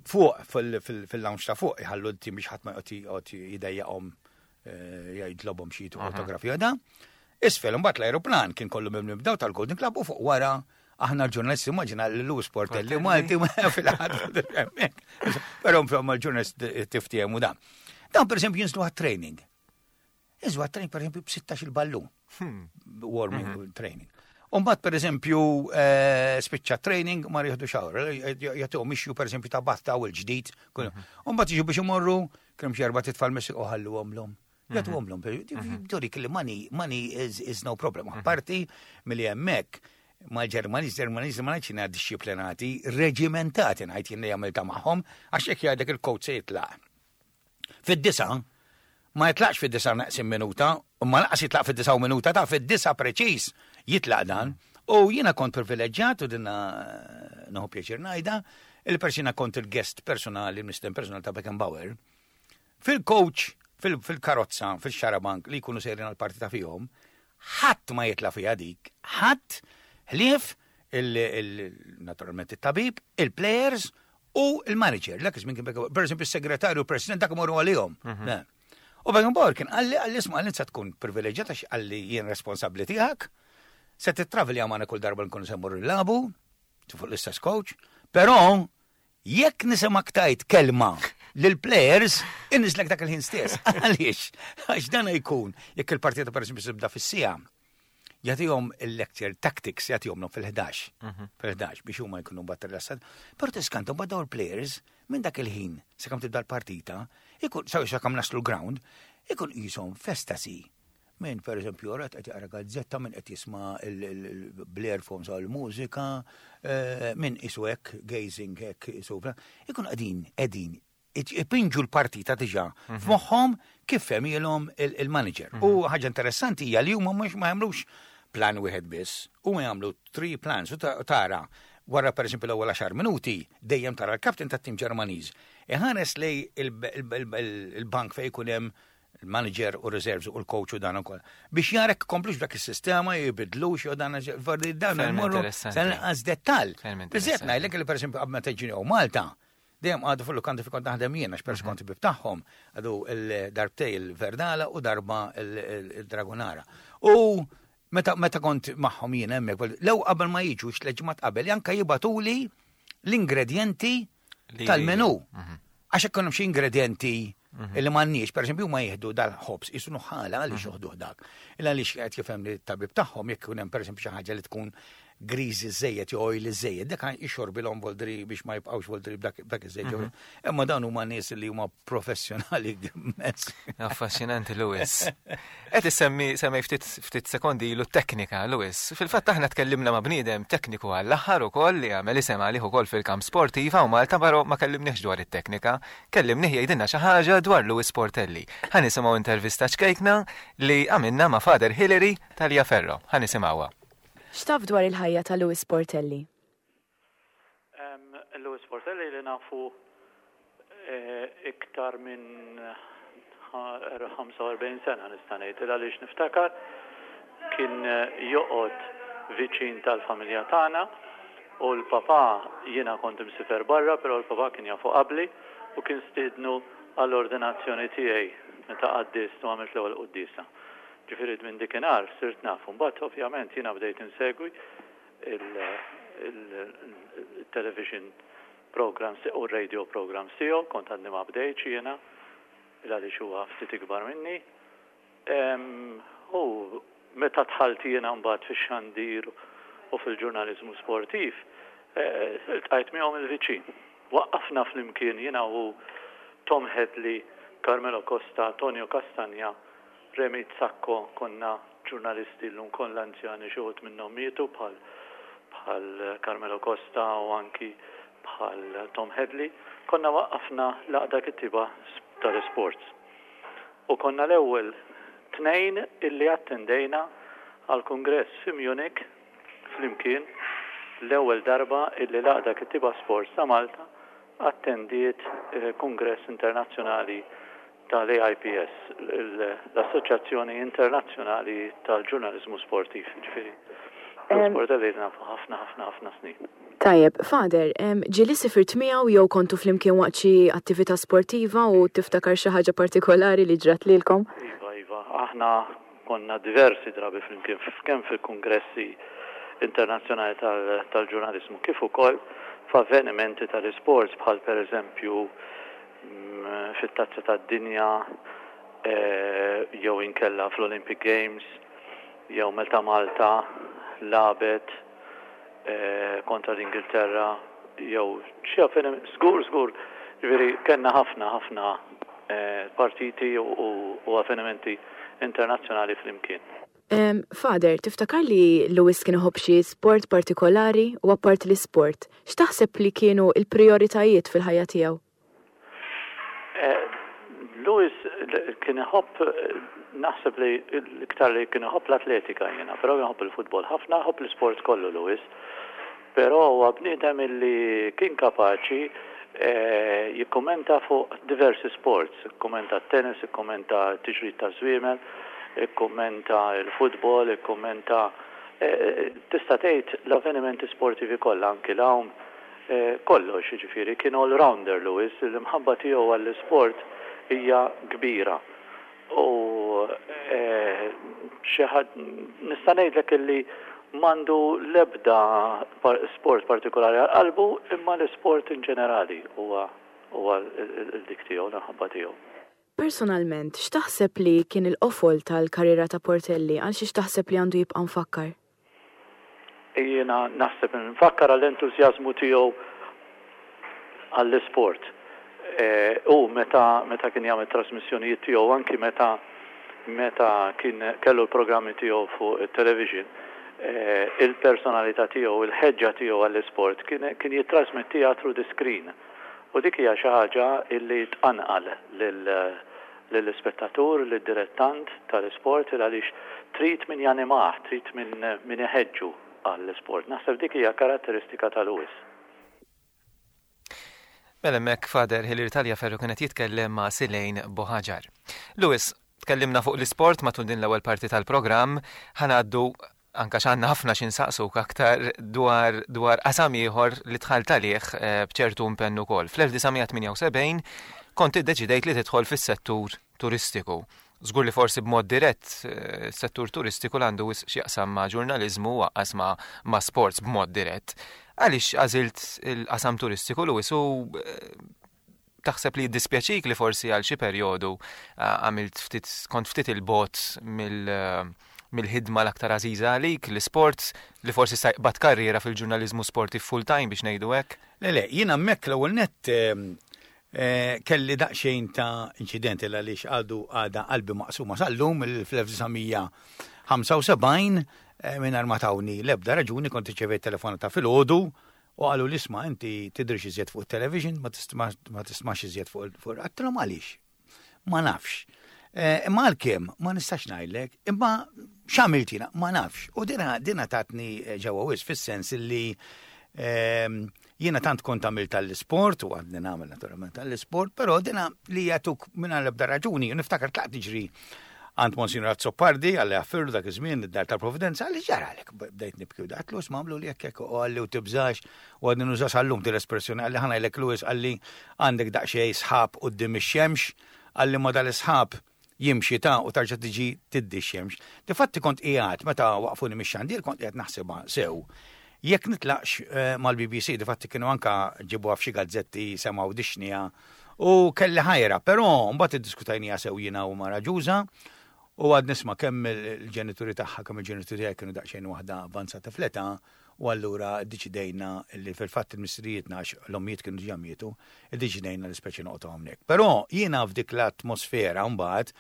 [SPEAKER 4] fuq fil-lounge ta' fuq iħallu l-tim biex ħadd ma joqgħod jidejjaqhom eh, jgħidlobhom xi autografija da. Isfel imbagħad l-aeroplan kien kollu mimli b'daw tal-Golden Club u fuq wara aħna l-ġurnalisti, immaġina l-Louis Portelli Malti fil-ħadd. Però insomma l-ġurnalist tiftiehmu da. Dawn, per esempio, jinżlu għat-training. Jinżlu għat-training, per esempio, b'sittax il-ballun. Warming training. Umbagħad, per eżempju, eh, spiċċa training, ma jieħdu shower, jagħtuhom mixju, per eżempju, ta' bath towel ġdid. Umbagħad jiġu biex imorru, kienu xi erba' titfal Messiku ħalluhom l Jagħtuhom l Turik li money, money is, is no problem. Parti milli hemmhekk mal-Ġermaniż, Ġermaniż ma ngħidx jiena disciplinati, reġimentati ngħid jien li għamilta magħhom, għax jekk jgħidlek il-coach se jitlaq. Fid-disgħa, ma jitlaqx fid-disgħa neqsin minuta, u ma lanqas jitlaq fid-disgħa u minuta, ta' fid-disgħa preċiż jitlaq dan. U jiena kont privileġġjat u dinna nieħu pjaċir ngħidha, il-persina kont il-guest personali, il-mistieden personali ta' Beckenbauer. Fil-coach, fil-karozza, fil-xarabank li jkunu sejrin għal-partita fihom, ħadd ma jitla fiha dik, ħadd ħlief naturalment it-tabib, il-players u il-manager. Dak iż-żmien kien per esempio, il-segretarju, il-president, dak imorru għalihom. Mhm. U Beckenbauer kien qalli qalli isma', qalli se tkun privileġġjata għax qalli jien responsabbli tiegħek, se tittravelja magħna kull darba nkunu se mmorru nilagħbu, fuq l-istess coach, però jekk nisimgħek tgħid kelma lil-players, inniżżlek dak il-ħin stess. Għaliex? Għax dan jkun, jekk il-partita, per esempio, tibda fis-siegħa, jagħtihom il-lecture tactics jagħtihom fil-ħdax. Mhm. Fil-ħdax biex huma jkunu mbagħad rilassat. Però tiskanta mbagħad dawn il-players minn dak il-ħin sakemm tibda l-partita Ikun, saw sakemm naslu l-ground, ikun qishom f'estasi. Min, per eżempju, rat qed jaqra gazzetta, min qed jisma' bl-earphones għal mużika, eh, min qisu hekk, gazing hekk, qisu, ikun qegħdin, qegħdin, ipinġu l-partita diġà f'moħħhom kif fehmielhom il-manager. U ħaġa interessanti hija li huma mhux ma jagħmlux plan wieħed biss, huma jagħmlu three plans u tara wara per eżempju l-ewwel għaxar minuti dejjem tara l-kapten tat-tim Ġermaniż. Iħares lejn il-bank fejn jkun hemm il-manager u reserves u l-coach u dan ukoll. Biex jara jkomplux dak is-sistema jibidlux jew dan dan imorru sal-inqas dettall. Biżżejjed ngħidlek li pereżempju qabel ma tiġi Malta, dejjem qagħdu fil-lukandi fi kont naħdem jien għax peress kont ħabib tagħhom, qagħdu il-darbtejn il-Verdala u darba il-Dragonara. U meta meta kont magħhom jien hemmhekk, lew qabel ma jiġu tliet ġimgħat qabel, janka jibagħtuli l-ingredienti tal-menu. Mhm. Għax hekk xi ingredienti mhm. illi m'għandniex, per eżempju, ma jieħdu dal-ħobż, qisu nuħħala għaliex mhm. joħduh dak. Illa għaliex qed jifhem li t-tabib tagħhom jekk ikun hemm pereżempju xi ħaġa li tkun greasy żejjed jew oily żejjed, dak ixorbilhom voldri biex ma jibqgħux voldri b'dak iż-żejjed. Mhm. Imma dawn huma nies li huma professjonali immens.
[SPEAKER 2] Affaxxinanti Louis. Qed issemmi semmej ftit ftit sekondi ilu teknika Louis. Fil-fatt aħna tkellimna ma' bniedem tekniku għall-aħħar ukoll li għamel isem għalih ukoll fil-kamp sportiva u Malta però ma kellimniex dwar it-teknika. Kellimnih jgħidilna xi ħaġa dwar Louis Portelli. Ħa nisimgħu intervista ċkejkna li għamilna ma' Father Hillary Tal-Ferro. Ħa nisimgħuha.
[SPEAKER 5] X'taf dwar il-ħajja ta' Louis Portelli?
[SPEAKER 6] Louis Portelli li nafu eh, iktar minn ħamsa u erbgħin sena nista' ngħid għaliex niftakar kien eh, joqgħod viċin tal-familja tagħna u l-papa jiena kont imsifer barra, però l-papa kien jafu qabli u kien stidnu għall-ordinazzjoni tiegħi meta qaddist u għamilt l-ewwel quddiesa. Ġifieri minn dikinhar sirt nafu. Mbagħad ovvjament jiena bdejt insegwi il-television programs u radio programs tiegħu, kont għadni ma bdejtx jiena, għaliex huwa ftit ikbar minni. U meta dħalt jiena mbagħad fix-xandir u fil-ġurnaliżmu sportiv, eh, iltqajt miegħu mill-viċin. Waqqafna flimkien jiena u Tom Hedley, Carmelo Costa, Tonio Castagna, Remi Sacco, konna ġurnalisti l-lum kollha anzjani xi wħud minnhom mietu bħal bħal Carmelo Costa u anki bħal Tom Hedley, konna waqqafna l-Għaqda Kittieba tal-Sports. U konna l-ewwel tnejn illi attendejna għal kongress fi Munich flimkien l-ewwel darba illi l-Għaqda Kittieba Sports ta' Malta attendiet eh, kongress internazzjonali tal-A I P S, l-Assoċjazzjoni Internazzjonali tal-Ġurnalizmu Sportiv, ġifieri. Sport li nafu ħafna ħafna ħafna snin.
[SPEAKER 5] Tajjeb, Father, ġieli sifirt miegħu jew kontu flimkien waqt xi attività sportiva u tiftakar xi ħaġa partikolari li ġrat lilkom?
[SPEAKER 6] Iva, iva, aħna konna diversi drabi flimkien kemm fil-kongressi internazzjonali tal-ġurnalizmu kif ukoll f'avvenimenti tal-isports bħal per eżempju mm, fit-tazza tad-dinja eh, jew inkella fl-Olympic Games jew meta Malta lagħbet eh, kontra l-Ingilterra jew xi avveniment żgur żgur ġifieri kellna ħafna ħafna eh, partiti u avvenimenti internazzjonali flimkien.
[SPEAKER 5] Father, tiftakar li Louis kien iħobb xi sport partikolari u apparti l-sport, x'taħseb li kienu il-prioritajiet fil-ħajja tiegħu?
[SPEAKER 6] Eh, Louis kien iħobb, naħseb li l-iktar li kien iħobb l-atletika jiena, però iħobb il-futbol ħafna, iħobb l-sport kollu Louis. Però huwa bniedem illi kien kapaċi eh, jikkommenta fuq diversi sports, ikkommenta tennis, ikkommenta tiġrid ta' żwiemel, ikkommenta il-futbol, ikkommenta eh, tista' tgħid l-avvenimenti sportivi kollha anki l-għawm eh, kollox jiġifieri kien all-rounder Louis, l-imħabba tiegħu għall-isport hija kbira. U eh, xi ħadd nista' ngħidlek illi m'għandu l-ebda sport partikolari għal qalbu imma l-sport in ġenerali huwa huwa l-dik tiegħu, l-imħabba tiegħu.
[SPEAKER 5] Personalment, x'taħseb li kien il-qofol tal-karriera ta' Portelli għal xiex taħseb li għandu jibqa' mfakkar?
[SPEAKER 6] Jiena naħseb nfakkar għall-entużjażmu tiegħu għall-isport. U meta meta kien jagħmel trasmissjonijiet tiegħu, anki meta meta kien kellu l-programmi tiegħu fuq it-television, il-personalità tiegħu, il-ħeġġa tiegħu għall-isport kien kien jittrasmettiha through the screen. U dik hija xi ħaġa illi tqanqal lill-ispettatur, lid-dilettant tal-isport, għaliex trid min janimah, trid min min iħeġġu għall-isport. Naħseb dik hija karatteristika ta' Louis.
[SPEAKER 2] Mela hemmhekk Father Hilary Tagliaferro kienet jitkellem ma' Silejn Boħaġar. Louis, tkellimna fuq l-isport matul din l-ewwel parti tal-programm, ħa ngħaddu, anka x'għandna ħafna x'insaqsuk aktar dwar dwar qasam ieħor li dħalt għalih eh, b'ċertu impenn ukoll. Fl-elf disa' mija tmienja u sebgħin kont iddeċidejt li tidħol fis-settur turistiku. Żgur li forsi b'mod dirett eh, settur turistiku għandu x'jaqsam ma' ġurnaliżmu u anqas ma', ma' sports b'mod dirett. Għaliex għażilt il-qasam turistiku, Louis, u eh, taħseb li jiddispjaċik li forsi għal xi perjodu għamilt ftit kont ftit 'il bogħod mill mill-ħidma l-aktar għażiża għalik, l-sport, li forsi stajt karriera fil-ġurnaliżmu sportiv full-time, biex ngħidu hekk?
[SPEAKER 4] Le, le, jiena hemmhekk l-ewwel nett eh, kelli daqsxejn ta' inċidenti, għaliex għadu għada qalbi maqsuma sal-lum. Fl-elf disa' mija ħamsa u sebgħin, mingħajr ma tawni l-ebda raġuni, kont irċevejt telefonata filgħodu u qalu li, "Isma', inti tidrix iżjed fuq television, ma tismax iżjed fuq fuq Għedtilhom, "Għaliex?" "Ma nafx." Imma għalkemm ma nistax ngħidlek, imma x'għamilt jiena, ma nafx. U dina dina tatni ġewwa wisq, fis-sens li jiena tant kont għamilt tal-sport u għadni nagħmel naturalment tal-sport, però dina li jagħtuk mingħajr l-ebda raġuni, u niftakar tlaqt niġri għand Monsignor Azzopardi, Alla jaħfirlu, dak iż-żmien id-Dar tal-Providenza, qalli, "X'ġaralek?" Bdejt nibki u għedtlu, "Isma', għamlu li hekk hekk." U qalli, u tibżax, u għadni nuża sal-lum din l-espressjoni, qalli, "Ħa ngħidlek, Louis," qalli, "għandek daqsxejn sħab quddiem ix-xemx," qalli, "ma dal-isħab jimxi ta' u tarġa' tiġi tiddi x-xemx." Difatti kont qiegħed, meta waqfuni mix-xandir, kont qiegħed naħsibha sew jekk nitlaqx eh, mal-B B C. Difatti kienu anka ġibu f'xi gazzetti semgħu dixnija u kelli ħajra, però mbagħad iddiskutajnija sew jiena u mara Ġuża, u għad nisma' kemm il-ġenituri tagħha, kemm il-ġenituri tiegħi kienu daqsxejn waħda avvanzata fl-età, u allura ddeċidejna li fil-fatt il-missirijietna, għax l-ommijiet kienu diġà mietu, iddeċidejna li speċi noqogħdu hawnhekk. Però jiena f'dik l-atmosfera mbagħad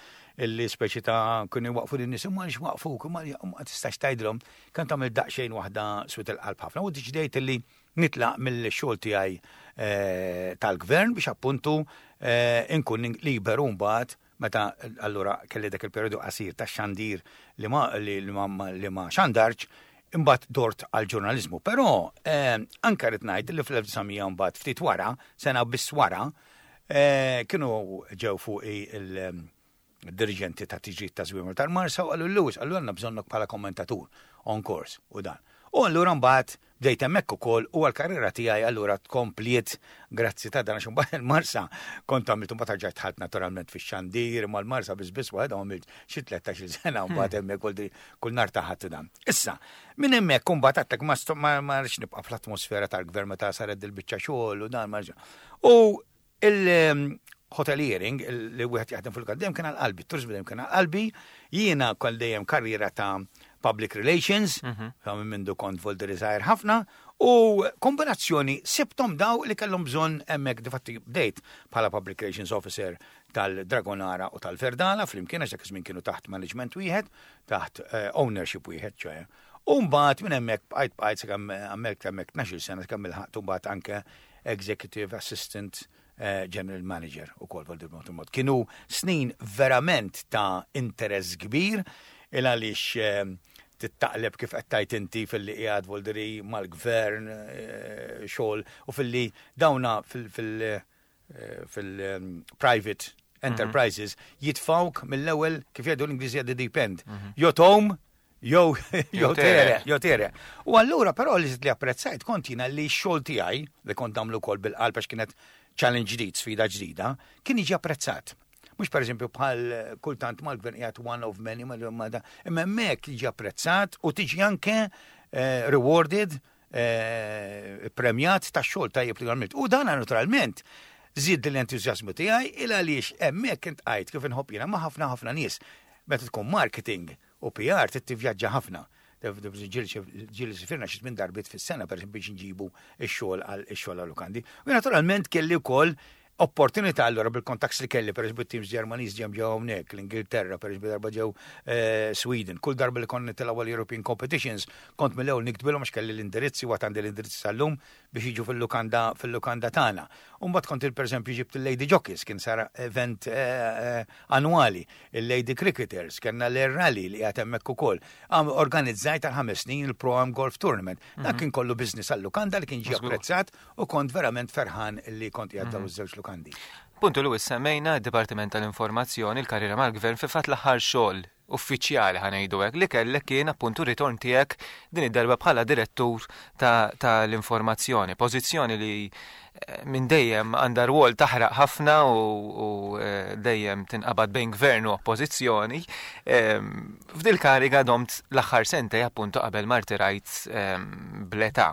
[SPEAKER 4] illi speċi ta' kienu waqfu lin-nies, imma għaliex waqfuk, imma ma tistax tgħidilhom, kan tagħmel daqsxejn waħda swied il-qalb ħafna, u ddeċidejt illi nitlaq mill-xogħol tiegħi eh, tal-gvern biex appuntu eh, inkun liberu mbagħad meta allura kelli dak il-periodu qasir ta' xandir li ma li ma li ma xandarx, imbagħad dort għal ġurnaliżmu. Però eh, anka rrid ngħid li fl-elf disa' mija mbagħad ftit wara, sena biss wara, eh, kienu ġew fuq il-dirigenti ta' tiġrid ta' Żwiemel tal-Marsa u qalu, "Louis," qalu, "għandna bżonnok bħala kommentatur on course u dan." U allura mbagħad bdejt hemmhekk ukoll u għall-karriera tiegħi allura tkompliet grazzi ta' dan, għax imbagħad il-Marsa kont għamilt, mbagħad rġajt dħalt naturalment fix-xandir, mal-Marsa biss biss waħda għamilt xi tlettax-il sena mbagħad hemmhekk kull kull nhar ta' Ħadd dan. Issa, minn hemmhekk imbagħad għedtlek ma ma ma rridx nibqa' fl-atmosfera tal-gvern meta saret dil-biċċa xogħol u dan ma U il-hoteliering li wieħed jaħdem fil-kaddem kien għal qalbi, turizmu dejjem kien għal qalbi, jiena kol dejjem karriera ta' public relations, ta' minn mindu kont volderi żgħir ħafna, u kombinazzjoni sibtom daw li kellhom bżonn hemmhekk. Difatti bdejt bħala public relations officer tal-Dragonara u tal-Verdala flimkien, għax dak iż-żmien kienu taħt management wieħed, taħt eh, ownership wieħed, ċoè. U mbagħad minn hemmhekk bqajt bqajt sakemm hemmhekk hemmhekk tnax-il sena, sakemm ilħaqt mbagħad anke executive assistant eh, general manager u kol vol mod. Kienu snin verament ta' interess kbir, il għaliex eh, tittaqleb kif qed tajt inti fil-li qiegħed volderi mal-gvern eh, xogħol u fil-li dawna fil- fil- eh, fil-private enterprises jitfawk mill-ewwel, kif jgħidu l-Ingliżi, the deep end. Jew tgħum jew jew tere, jew tere. U allura però li li apprezzajt kont jiena li x-xogħol tiegħi li kont nagħmlu wkoll bil-qalb, għax kienet challenge ġdid, sfida ġdida, kien jiġi apprezzat. Mhux per eżempju bħal kultant mal-gvern qiegħed one of many, ma ma da, imma hemmhekk jiġi apprezzat u tiġi anke eh, rewarded, eh, premjat ta' xogħol tajjeb li għamilt. U dan naturalment żid l-entużjażmu tiegħi, il għaliex hemmhekk iltqajt, kif inħobb jiena, ma' ħafna ħafna nies. Meta tkun marketing u P R trid tivvjaġġa ħafna. Ġieli sifirna xi minn darbiet fis-sena, per esempio, biex nġibu x-xogħol għal ix-xogħol għal lukandi. U naturalment kelli wkoll Opportunità allora bil-contacts li kelli, per eżempju teams Ġermaniż ġem ġew hawnhekk, l-Ingilterra, per eżempju darba ġew eh, Sweden. Kull darba li konna nitilgħu European Competitions, kont mill-ewwel niktbilhom għax kelli l-indirizzi, għad għandi l-indirizzi sal-lum, biex jiġu fil-lukanda fil-lukanda tagħna. U mbagħad kont il pereżempju ġibt il-Lady Jockeys, kien sar event eh, eh, annwali, il-Lady Cricketers, kellna l-Rally li qiegħed hemmhekk ukoll. Organizzajt għal ħames snin il-Pro Am Golf Tournament. Dak kien kollu business għal-lukanda li kien ġie apprezzat u kont verament ferħan li kont qiegħed daw iż-żewġ lukandi.
[SPEAKER 2] Puntu, Louis, semmejna d-Dipartiment tal-Informazzjoni, il-karriera mal-Gvern, fi fatt l-aħħar xogħol uffiċjali, ħa ngħidu hekk, li kellek kien appuntu ritorn tiegħek din id-darba bħala direttur tal-informazzjoni, pożizzjoni li eh, minn dejjem għandha rwol taħraq ħafna u, u eh, dejjem tinqabad bejn gvern u oppożizzjoni. Ehm, f'dil kariga domt l-aħħar sentej appuntu qabel ma rtirajt ehm, bl-età.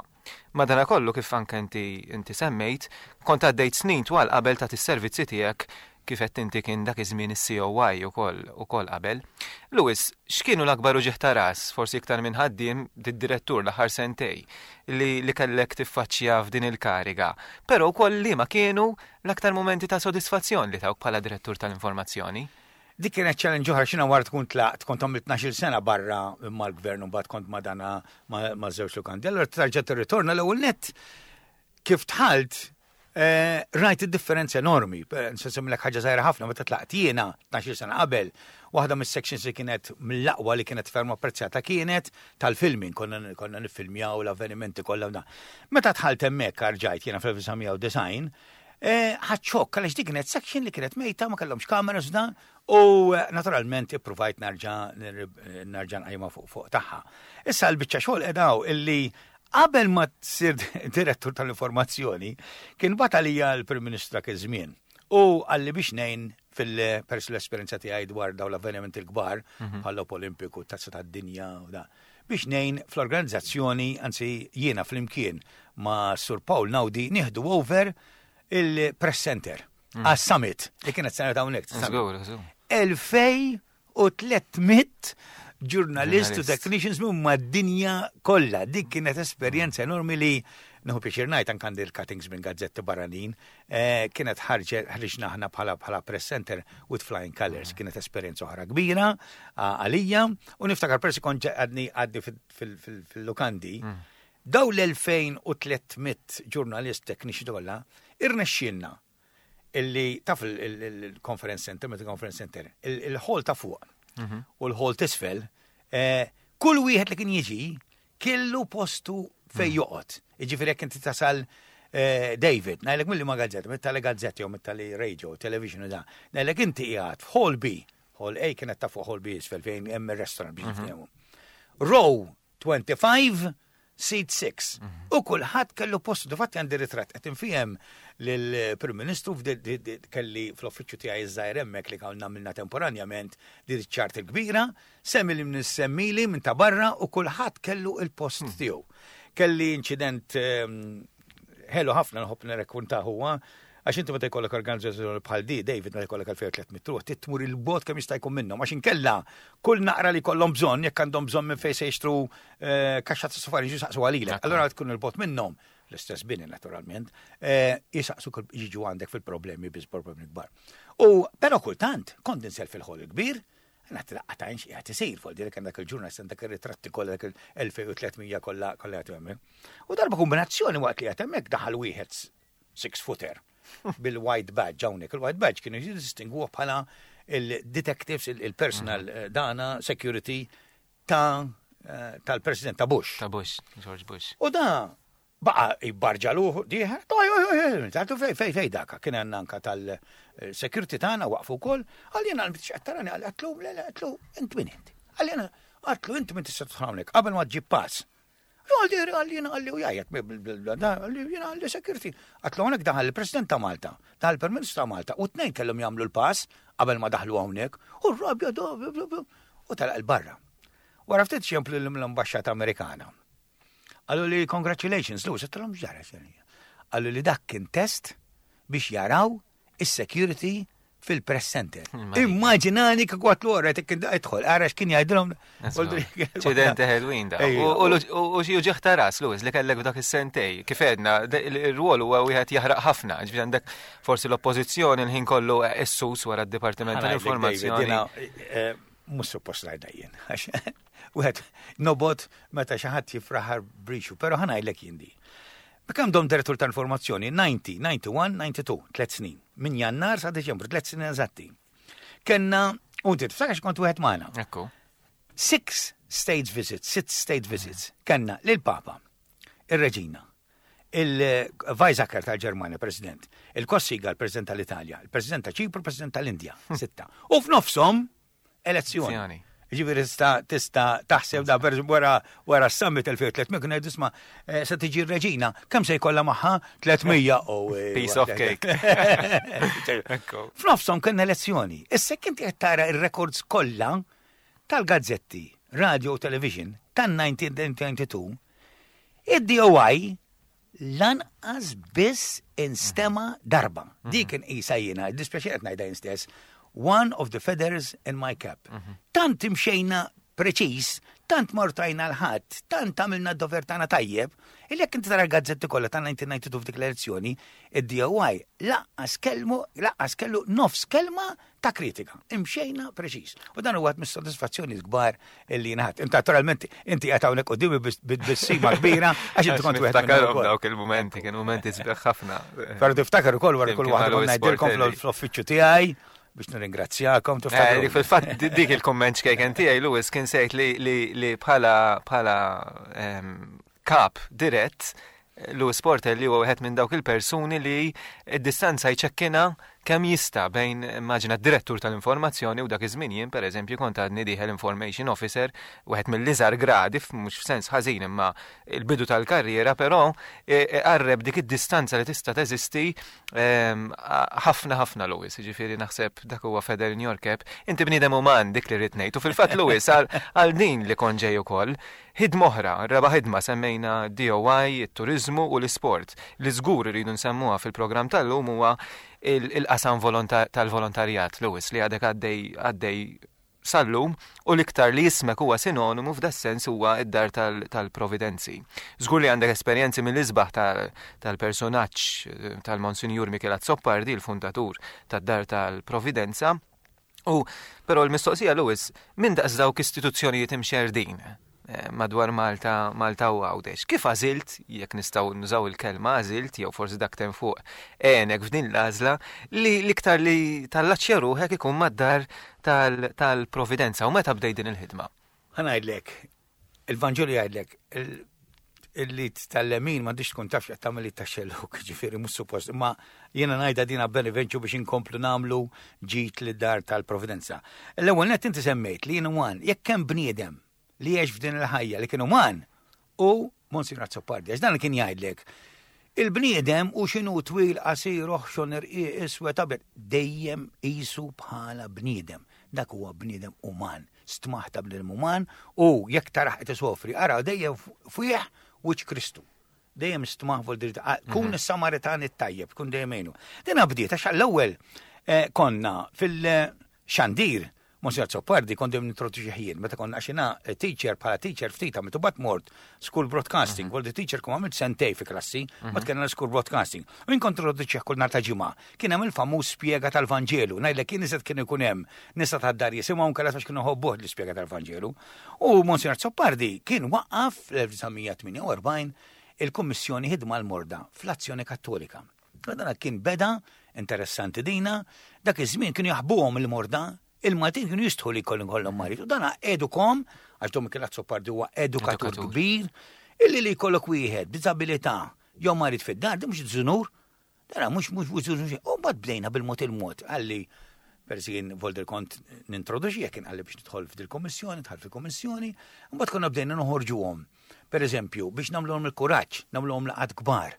[SPEAKER 2] Madana kollu, kif anke inti, inti semmejt, kont għaddejt snin twal qabel ta' is-servizzi tiegħek, kif qed inti kien dak iż-żmien is-C O I ukoll ukoll qabel. Louis, x'kienu l-akbar uġigħ ta' ras, forsi iktar minn ħaddiem direttur l-aħħar sentej li, li kellek tiffaċċja f'din il-kariga, però wkoll li ma kienu l-aktar momenti ta' sodisfazzjon li tawk bħala direttur tal-informazzjoni?
[SPEAKER 4] Dik kienet challenge oħra xina wara tkun tlaqt, kont għamilt tnax-il sena barra mal-gvern u mbagħad kont ma dana ma' żewġ lukandi. Allora tarġa' tirritorna, l-ewwel nett kif dħalt eh, rajt id-differenza enormi. Nsemmilek ħaġa żgħira ħafna, meta tlaqt jiena tnax-il sena qabel, waħda mis-sections li kienet mill-aqwa li kienet ferm apprezzata kienet tal-filming, konna konna niffilmjaw l-avvenimenti kollha. Meta dħalt hemmhekk rġajt jiena fl-elf disa' mija u disgħin, ħadt xokk għaliex dik kienet section li kienet mejta, ma kellhomx kameras da, u eh, naturalment ippruvajt narġa' nerġa' nqajma fuq fuq tagħha. Issa l-biċċa xogħol edaw illi qabel ma tsir direttur tal-informazzjoni kien bagħat għalija l-Prim Ministru dak iż-żmien u qalli biex ngħin fil-pers l-esperjenza tiegħi dwar dawn l-avvenimenti l-kbar mhm. bħal Olimpiku, Tazza tad-Dinja u da, biex ngħin fl-organizzazzjoni, anzi jiena flimkien ma' Sur Paul Naudi nieħdu over il-press center mm. għas-summit li kienet sena ta' hawnhekk. Elfej u tliet mitt ġurnalist u technicians minn mad-dinja kollha. Dik kienet esperjenza enormi li nieħu pjaċir ngħid anke għandi l-cuttings minn gazzetti barranin, eh, kienet ħarġna aħna bħala bħala press center with flying colors. Kienet esperjenza oħra kbira għalija u niftakar persi kont għadni għadni fil-lukandi. Mm. Daw l-elfejn u tliet mitt ġurnalist, technician kollha, irnexxielna illi taf il-conference center, meta conference center, il-hall ta' fuq mhm. u l-hall t'isfel, eh, kull wieħed li kien jiġi kellu postu fej mhm. joqgħod. Jiġifieri jekk inti tasal eh, David, ngħidlek milli ma gazzetta, mit-tali gazzetti jew mit-tali radio, television u da, ngħidlek inti qiegħed f'Hall B, Hall A kienet ta' fuq, Hall B isfel fejn hemm ir-restaurant biex mhm. niftehmu. Row twenty-five, seat six. Mhm. U kulħadd kellu postu. Difatti għandi ritratt qed infihem lill-Prim Ministru kelli fl-uffiċċju tiegħi iż-żgħir hemmhekk li konna għamilna temporanjament di ċart il-kbira, semmi li nissemmili minn ta' barra u kulħadd kellu il-post hmm. tiegħu. Kelli inċident ehm, ħelu ħafna nħobb nirrakkonta huwa għax inti meta jkollok organizzazzjoni bħal di, David, meta jkollok elfejn u tliet mitt ruħ, tmur il-bogħod kemm jista' jkun minnhom, għax inkella kull naqra li kollhom bżonn, jekk għandhom bżonn minn fejn se jixtru eh, kaxxa ta' safari, jisaqsu għalilek. Allura tkun il-bogħod minnhom, l-istess bini naturalment, eh, jisaqsu jiġu għandek fil-problemi biss, problemi kbar. U però kultant kont ninżel fil-hall il-kbir, Għat laqqa x'qiegħed isir, fuq dik dak il-ġurnalist, dak ir-ritratti kollha, dak il-elfejn u tliet mija kollha kollha jagħtu hemmhekk. U darba kombinazzjoni waqt li qed hemmhekk daħal wieħed six footer bil-white badge hawnhekk. Il-white badge kienu jistinguh bħala il-detectives, il-personal mhm. eh, dana security ta' eh, tal-president ta' Bush.
[SPEAKER 2] Ta' Bush, George Bush.
[SPEAKER 4] U da baqa jibbarġa luħu, diħer, tgħidu fej, fej, fej daka, kien għandna anka tal-security tagħna waqfu wkoll, għal jena għal tarani, għal għatlu, le, le, għatlu, int min inti? Għal jena, għatlu, inti min tista' tidħol hawnhekk qabel ma ġib pass. Għalli, għalli, jena għalli u jgħajjat, għalli, jena għalli security. Għatlu hawnhekk daħal il-President ta' Malta, daħal il-Prim Ministru ta' Malta, u t-tnejn kellhom jagħmlu l-pass qabel ma daħlu hawnhekk, u r-rabja u telaq il-barra. Wara ftit ċemplu l-ambasċata Amerikana. Qallu li congratulations, Lou, għedtilhom ġara. Qallu li dak kien test biex jaraw is-security Fil-press center. Immaġinani kieku għatlu għara, idħol, għara x'kien jgħidilhom.
[SPEAKER 2] Ċidenti ħelwin da. U xi uġigħ ta' ras, Louis, li kellek f'dak is-sentej. Kif għedna, il-rwol huwa wieħed jaħraq ħafna, ġifieri għandek forsi l-oppożizzjoni l-ħin kollu essus wara d-Dipartiment tal-Informazzjoni.
[SPEAKER 4] Eh, mhux suppost ngħidha jien. Wieħed nobgħod meta xi ħadd jifraħar brixu, però ħa ngħidlek jien di. Kemm dom direttur ta' informazzjoni? disgħin, disgħa u disgħin, disgħa u tnejn, tliet snin. Minn Jannar sa Deċembru, tliet snin eżatti. Kenna, u inti tiftakar kont wieħed magħna.
[SPEAKER 2] Ekku.
[SPEAKER 4] Six state visits, six state visits. Kenna lil-Papa, il-Reġina, il-Weizsäcker tal-Ġermanja, President, il-Cossiga, il-President tal-Italja, il-President ta' Ċipru, il-President tal-Indja, sitta. U f'nofshom elezzjoni. Ġifieri tista' tista' taħseb da per wara wara s-summit elfejn u tliet mija kien jgħidu, "Isma', eh, se tiġi r-reġina, kemm se jkollha magħha? tliet mija" Oh, eh,
[SPEAKER 2] Piece of cake. Ekku.
[SPEAKER 4] F'nofshom kien elezzjoni. Issa inti qed tara ir-records kollha tal-gazzetti, radio u television tan-elf disa' mija u tnejn u disgħin, id-D O I lanqas biss instema darba. Dik inqisha jiena, dispjaċi qed ngħidha jien stess, one of the feathers in my cap. Tant imxejna preċis, tant mortajna l-ħadd, tant għamilna d-dover tagħna tajjeb, illi jekk inti tara l-gazzetti kollha ta' elf disa' mija u tnejn u disgħin f'dik l-elezzjoni, id-D O I lanqas kelmu, lanqas kellu nofs kelma ta' kritika. Imxejna preċis. U dan huwa mis-sodisfazzjoni kbar illi ngħad. Inti naturalment inti qed hawnhekk quddiemi b'tbissima kbira għax inti kont wieħed minnhom
[SPEAKER 2] Niftakarhom
[SPEAKER 4] ukoll.
[SPEAKER 2] dawk il-momenti, kienu momenti sbieħ ħafna.
[SPEAKER 4] Però tiftakar ukoll wara kull
[SPEAKER 2] Flimkien
[SPEAKER 4] waħda
[SPEAKER 2] ma'
[SPEAKER 4] konna
[SPEAKER 2] Louis
[SPEAKER 4] ngħidilkom
[SPEAKER 2] Portelli.
[SPEAKER 4] fl-uffiċċju tiegħi biex nirringrazzjakom.
[SPEAKER 2] Eh,
[SPEAKER 4] Tiftakru.
[SPEAKER 2] li fil-fatt di- dik il-komment xkejken tiegħi, Louis, kien sejt li li li bħala bħala ehm, kap dirett Louis Portelli huwa wieħed minn dawk il-persuni li id-distanza jċekkina kemm jista' bejn, immaġina, d-direttur tal-informazzjoni u dak iż-żmien jien, pereżempju, kont għadni dieħel information officer, wieħed mill-iżgħar gradi, mhux f'sens ħażin imma il-bidu tal-karriera, però e, e, qarreb dik id-distanza li tista' teżisti ehm, ħafna ħafna, Louis, ġifieri naħseb dak huwa feather in your cap. Inti bniedem uman, dik li rrid ngħid. U fil-fatt, Louis, għal għal din li kont ġej ukoll, ħidma oħra, raba' ħidma, semmejna D O I, it-turizmu u l-isport. Li żgur iridu nsemmuha fil-programm tal-lum huwa il- il-qasam volonta- tal-volontarjat, Louis, li għadek għaddej għaddej sal-lum u l-iktar li jismek huwa sinonimu f'das-sens huwa id-dar tal- tal-Providenzi. Żgur li għandek esperjenzi mill-isbaħ tal- tal-personaġġ eh, tal-Monsinjur Michel Azzopardi, il-fundatur tad-dar tal-Providenza. U però l-mistoqsija, Louis, minn daqs dawk istituzzjonijiet imxerdin eh, madwar Malta, Malta u Għawdex. Kif għażilt, jekk nistgħu nużaw il-kelma għażilt, jew forsi dak tem fuq għenek f'din l-għażla, li l-iktar li tallaċċja ruħek ikun mad-dar tal- tal-Providenza u meta bdejt din il-ħidma?
[SPEAKER 4] Ħa ngħidlek, il-Vanġelu jgħidlek, il- illi tal-lemin m'għandix tkun taf x'qed tagħmel tax-xellug, ġifieri mhux suppost, imma jiena ngħidha dina benevenċu biex inkomplu nagħmlu ġid lid-dar tal-Providenza. L-ewwel net inti semmejt li jien uman, jekk hemm bniedem li jgħix f'din il-ħajja li kien uman u Monsignor Azzopardi, għax dan kien jgħidlek, il-bniedem u x'inhu twil, qasir, oħxon, irqiq, iswed, abjad, dejjem qisu bħala bniedem. Dak huwa bniedem uman, stmah ta' bniedem uman u jekk taraħ qed isofri, ara dejjem fih wiċċ Kristu. Dejjem stmah vol dritt. Kun is-Samaritan it-tajjeb, kun dejjem għinu. Dina bdiet għax għall-ewwel eh, konna fil-xandir Monsignor Azzopardi kont dejjem nintroduċi ħin, meta konna għax jiena teacher, bħala teacher ftit għamilt u bat mort school broadcasting, mm teacher kum għamilt sentej fi klassi, ma tkellna school broadcasting. U jien kont introduċi kull nhar ta' ġimgħa. Kien hemm il-famuż spjega tal-Vanġelu, ngħidlek kien iżed kien ikun hemm nisa tad-dar jisimgħu nkella għax kienu ħobbuh l-ispjega tal-Vanġelu. U Monsignor Azzopardi kien waqqaf fl-elf disa' mija tmienja u erbgħin il-Kummissjoni Ħidma l-Morda fl-Azzjoni Kattolika. U dan kien beda, interessanti dina, dak iż-żmien kienu jaħbuhom il-morda, il-Maltin kienu jistħu li kollhom kollhom marid. U dana edukom, għax Dom Michel Azzopardi huwa edukatur
[SPEAKER 2] Edukatur.
[SPEAKER 4] kbir, illi li jkollok wieħed b'diżabilità jew marid fid-dar, di mhux żunur, dara mhux mhux mhux żunur. U mbagħad bdejna bil-mod il-mod, għalli persi jien volder kont nintroduċi, kien għalli biex nidħol f'dil-kommissjoni, dħal fil-kommissjoni, mbagħad konna bdejna noħorġuhom. Per eżempju, biex nagħmluhom il-kuraġġ, nagħmluhom laqgħat kbar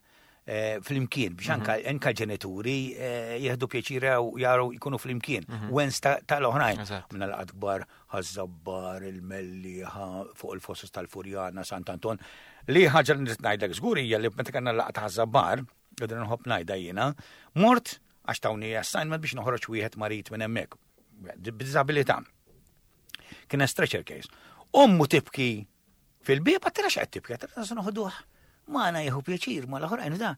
[SPEAKER 4] eh, fl-imkien, biex anka anka ġenituri eh, jieħdu pjaċira u jaraw jkunu fl-imkien, wens ta- tal-oħrajn.
[SPEAKER 2] Eżatt.
[SPEAKER 4] Minna laqgħat kbar, Ħaż-Żabbar, il-Mellieħa, fuq il-Fossos tal-Furjana, Sant'Anton. Li ħaġa li nrid ngħidlek żgur hija li meta kellna laqgħa ta' Ħaż-Żabbar, qegħdin nħobb ngħidha jiena, mort Għax tawni assignment biex noħroġ wieħed marid minn hemmhekk. B'diżabilità. Kien stretcher case. Ommu tibki fil-bieb, għedtilha x'qed tibki, għedtilha se noħduh. Magħna jieħu pjaċir ma l-oħrajn da.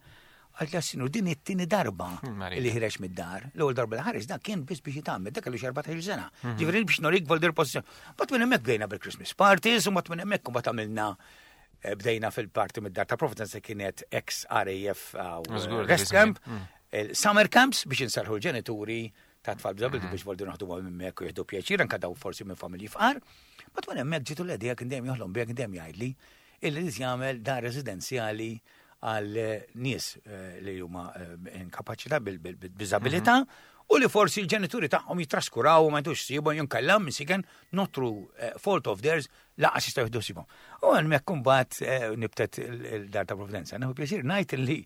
[SPEAKER 4] Għedtli sinjur din it-tieni darba
[SPEAKER 2] Marija.
[SPEAKER 4] li ħireġ mid-dar. L-ewwel darba li ħareġ dan kien biss biex jitgħammed, dak kellu xi erbatax-il sena. Ġifieri biex norik voldir pożizzjoni. But minn hemmhekk bdejna bil-Christmas parties, u mbagħad minn hemmhekk mbagħad għamilna eh, bdejna fil-parti mid-dar ta' Providence kienet ex R A F uh,
[SPEAKER 2] Żgur,
[SPEAKER 4] rest
[SPEAKER 2] dak
[SPEAKER 4] camp,
[SPEAKER 2] iż-żmien.
[SPEAKER 4] il-summer camps biex inserħu l-ġenituri ta' tfal b'diżabilità biex voldi naħdu minn hemmhekk u jieħdu pjaċir anke daw forsi minn familji fqar. But minn hemmhekk ġitu l-idea kien dejjem joħlom biha, kien dejjem jgħidli illi li jagħmel dar residenzjali għal eh, nies eh, li huma eh, inkapaċità bil-diżabilità u li forsi l-ġenituri tagħhom jitraskuraw u ma jtux sibhom jinkella misiken not through eh, fault of theirs lanqas jistgħu jieħdu sibhom. U hemmhekk imbagħad eh, nibtet il-dar ta' Providenza. Nieħu pjaċir ngħid li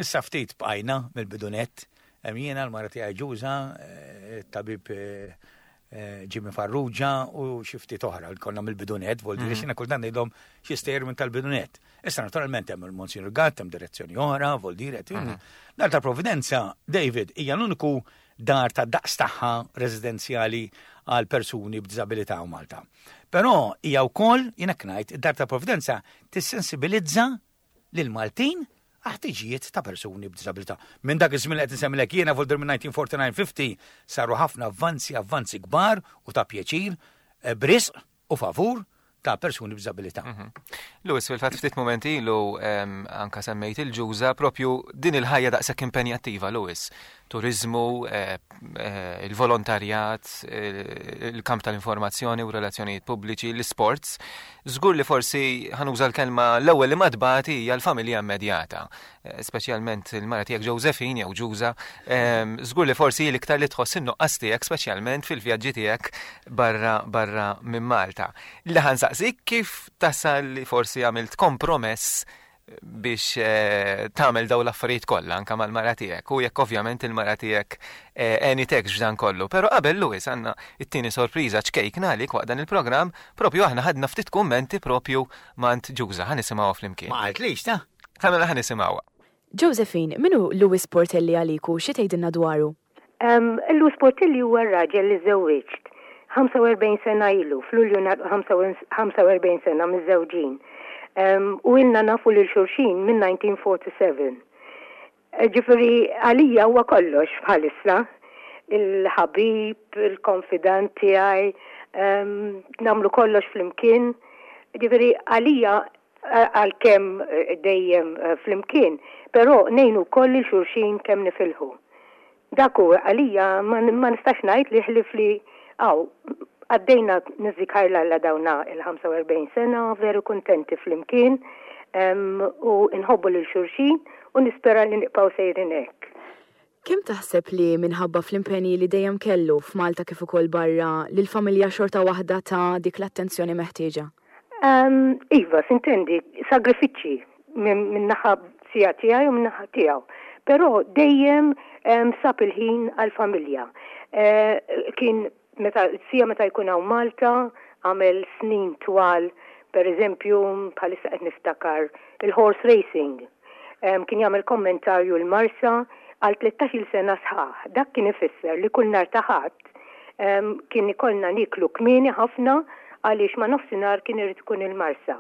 [SPEAKER 4] issa ftit bqajna mill-bidunett, hemm jiena l-mara tiegħi Ġuża, eh, tabib eh, eh, Jimmy Farrugia u xi ftit oħra li konna mill-bidunett, vol dire xina kultant ngħidhom xi stejjer minn tal-bidunett. Issa naturalment hemm il-Monsignor Gatt, hemm direzzjoni oħra, vol dire. Dar ta' Providenza, David, hija l-uniku dar ta' daqs tagħha residenzjali għal persuni b'diżabilità u Malta. Però hija wkoll, jiena ngħid, id-dar ta' Providenza tissensibilizza lil Maltin ħtiġijiet ta' persuni b'diżabilità. Minn dak iż-żmien li qed insemmilek jiena vol minn elf disa' mija erbgħa u disgħin-ħamsin saru ħafna avvanzi, avvanzi kbar u ta' pjaċir eh, b'risq u favur ta' persuni b'diżabilità.
[SPEAKER 2] Louis, fil-fatt ftit momenti ilu em, anka semmejt il-Ġuża propju din il-ħajja daqshekk impenjattiva, Louis. Turizmu, eh, eh, il-volontarjat, eh, il-kamp tal-informazzjoni u relazzjonijiet pubbliċi, l-sports. Żgur li forsi ħa nuża l-kelma l-ewwel li madbati hija l-familja immedjata, eh, speċjalment il-mara tiegħek Josephine jew Ġuża. Em, Żgur li forsi l-iktar li tħoss in-nuqqas tiegħek speċjalment fil-vjaġġi tiegħek barra barra minn Malta. Li ħa nsaqsik kif tasal li forsi għamilt kompromess biex eh, tagħmel daw l-affarijiet kollha anka mal-mara tiegħek u jekk ovvjament il-mara tiegħek eh, għenitek f'dan kollu. Però qabel Louis għandna it-tieni sorpriża ċkejkna għalik waqt dan il-programm propju aħna ħadna ftit kummenti propju mingħand Ġuża ħa nisimgħuha flimkien.
[SPEAKER 4] Ma qaltlix ta'
[SPEAKER 2] Ħamela ħa nisimgħuha.
[SPEAKER 5] Josephine, min hu Louis Portelli għalik u xi tgħidilna dwaru?
[SPEAKER 7] Um, Louis Portelli huwa raġel li żewwiġt ħamsa u erbgħin sena ilu, f'Lulju nar- ħamsa u erbgħin sena miż-żewġin. Um, u ilna nafu lil xulxin minn elf disa' mija erbgħa u erbgħin. Ġifieri għalija huwa kollox bħalissa. Il-ħabib, il-konfidant tiegħi, um, nagħmlu kollox flimkien. Ġifieri għalija għalkemm eh, dejjem eh, flimkien, però ngħinu koll lil xulxin kemm nifilħu. Dak hu għalija ma, ma nistax ngħid li ħlif li għaw għaddejna niżikar l dawna il-ħamsa u erbgħin sena, veru kontenti flimkien um, u nħobbu lil xulxin u nispera li nibqgħu sejrin hekk.
[SPEAKER 5] Kemm taħseb li minħabba fl-impenji li dejjem kellu f'Malta kif ukoll barra li l-familja xorta waħda ta dik l-attenzjoni meħtieġa?
[SPEAKER 7] Um, iva, sintendi, sagrifiċċji minn min naħa sija tiegħi u minn naħa tiegħu. Però dejjem um, sab il-ħin għal-familja. Uh, kien meta sija meta jkun hawn Malta, għamel snin twal, per eżempju, bħalissa qed niftakar il-horse racing. Um, kien jagħmel kommentarju l-Marsa għal tlettax-il sena sħaħ. Dak kien ifisser li kull nhar ta' Ħadd um, kien ikollna niklu kmieni ħafna għaliex ma' nofsinhar kien irid ikun il-Marsa.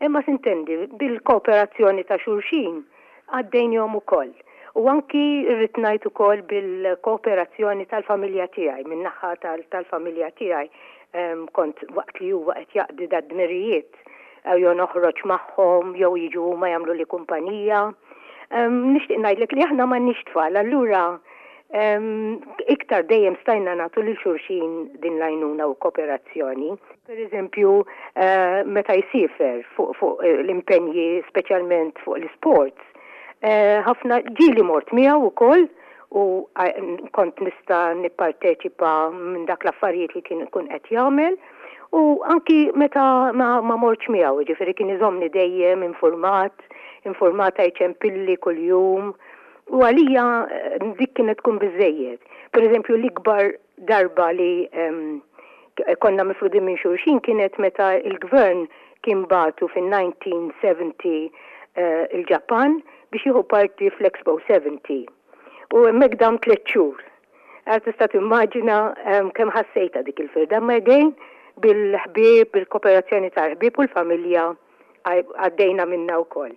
[SPEAKER 7] Imma sintendi, bil-kooperazzjoni ta' xulxin għaddejnihom ukoll. U anki rrid ngħid ukoll bil-kooperazzjoni tal-familja tiegħi, min-naħa tal-familja tiegħi em, kont waqt li huwa qed jaqdi dad-dmirijiet jew noħroġ magħhom jew jiġu huma jagħmlu li kumpanija. Em, Nixtieq ngħidlek li aħna m'għandniex tfal, allura em, iktar dejjem stajna nagħtu lil xulxin din l-għajnuna u kooperazzjoni. Per eżempju, eh, meta jsifer fuq fuq eh, l-impenji speċjalment fuq l-sports, eh, ħafna ġieli mort miegħu ukoll u eh, kont nista' nipparteċipa minn dak l-affarijiet li kien ikun qed jagħmel. U anki meta ma, ma mortx miegħu, ġifieri kien iżomni dejjem informat, informata jċempilli kuljum. U għalija eh, dik kienet tkun biżejjed. Per eżempju, l-ikbar darba li em, konna mifrudin minn xulxin kienet meta il-gvern kien bagħtu fin-elf disa' mija sebgħin eh, il-Ġapan biex jieħu parti fl-Expo sebgħin. U hemmhekk dam tliet xhur. Għal tista' timmaġina kemm ħassejta dik il-firda, ma again bil-ħbieb, bil-kooperazzjoni tal-ħbieb u l-familja għaddejna minna wkoll.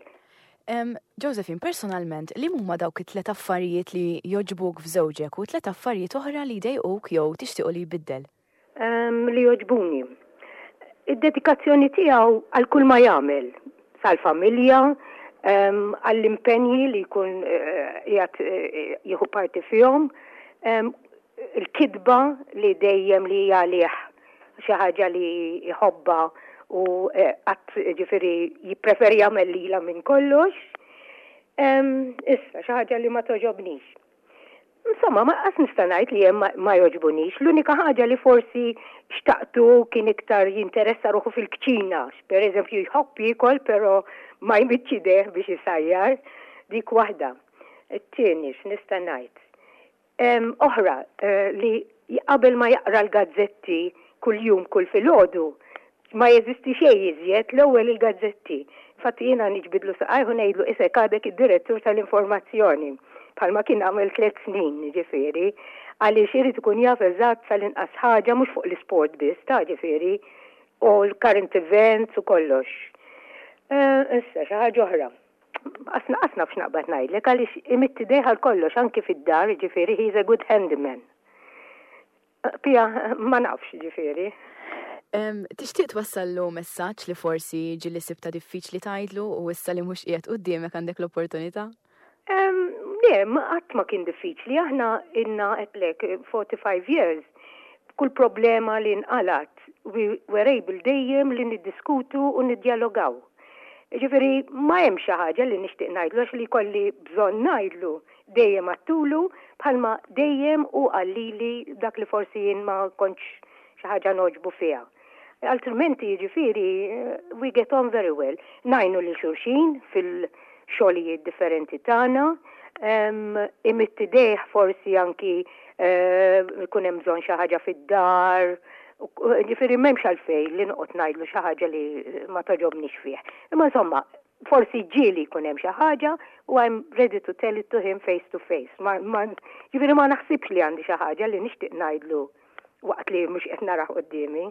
[SPEAKER 5] Josephine, personalment, li huma dawk it-tlet affarijiet li jogħġbuk f'żewġek u tlet affarijiet oħra li jdejquk jew tixtiequ li jbiddel?
[SPEAKER 7] Li jogħġbuni. Id-dedikazzjoni tiegħu għal kull ma jagħmel, sal-familja, għall-impenji li jkun eh, qiegħed eh, jieħu parti fihom, il-kitba li dejjem li hija għalih xi ħaġa li jħobbha u eh, qatt ġifieri jippreferi jagħmel lilha minn kollox. Issa xi ħaġa li ma togħġobnix. Insomma, ma qas nista' ngħid li hemm ma jogħġbunix. L-unika ħaġa li forsi xtaqtu kien iktar jinteressa ruħu fil-kċina. Per eżempju, jħobb jiekol, però ma jmiddx idejh biex isajjar. Dik waħda. It-tieni x'nista' ngħid. Oħra eh, li qabel ma jaqra l-gazzetti kull-jum kull filgħodu, ma jeżisti xejn iżjed l-ewwel il-gazzetti. Infatti jiena niġbidlu saqajh u ngħidlu isek għadek id-direttur tal-informazzjoni bħalma kien għamel tliet snin ġifieri, għaliex irid ikun jaf eżatt sal-inqas ħaġa mhux fuq l-isport biss, ta' ġifieri, u l-current events u kollox. Eh, issa xi ħaġa oħra. Asna asna f'x'naqbad ngħidlek għaliex imidd idejh għal kollox anki fid-dar, ġifieri he's a good handyman. Pija, ma nafx ġifieri.
[SPEAKER 5] Tixtieq twassallu messaġġ li forsi ġieli sibtha diffiċli tgħidlu u issa li mhux qiegħed quddiemek għandek l-opportunità?
[SPEAKER 7] Le, ma qatt ma kien diffiċli. Aħna ilna għedtlek forty-five years. Kull problema li nqalat, we were able dejjem li niddiskutu u niddialogaw. Ġifieri, ma hemm xi ħaġa li nixtieq ngħidlu għax li kolli bżonn ngħidlu dejjem għedtulu bħalma dejjem u qalli dak li forsi jien ma kontx xi ħaġa nogħġbu fiha. Altrimenti ġifieri we get on very well. Ngħinu lil xulxin fil-xogħlijiet differenti tagħna, imidd idejh forsi anki ikun hemm bżonn xi ħaġa fid-dar. Ġifieri m'hemmx għalfejn li noqgħod ngħidlu xi ħaġa li ma togħġobnix fih. Imma insomma, forsi ġieli jkun hemm xi ħaġa u I'm ready to tell it to him face to face. Ma, ma, ġifieri ma naħsibx li għandi xi ħaġa li nixtieq ngħidlu waqt li mhux qed narah quddiemi.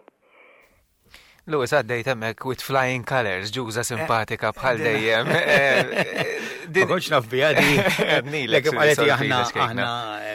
[SPEAKER 2] Louis, għaddejt hemmhekk with flying colors, ġuża simpatika bħal dejjem.
[SPEAKER 4] Ma kontx naf biha di. Lek għaleti aħna aħna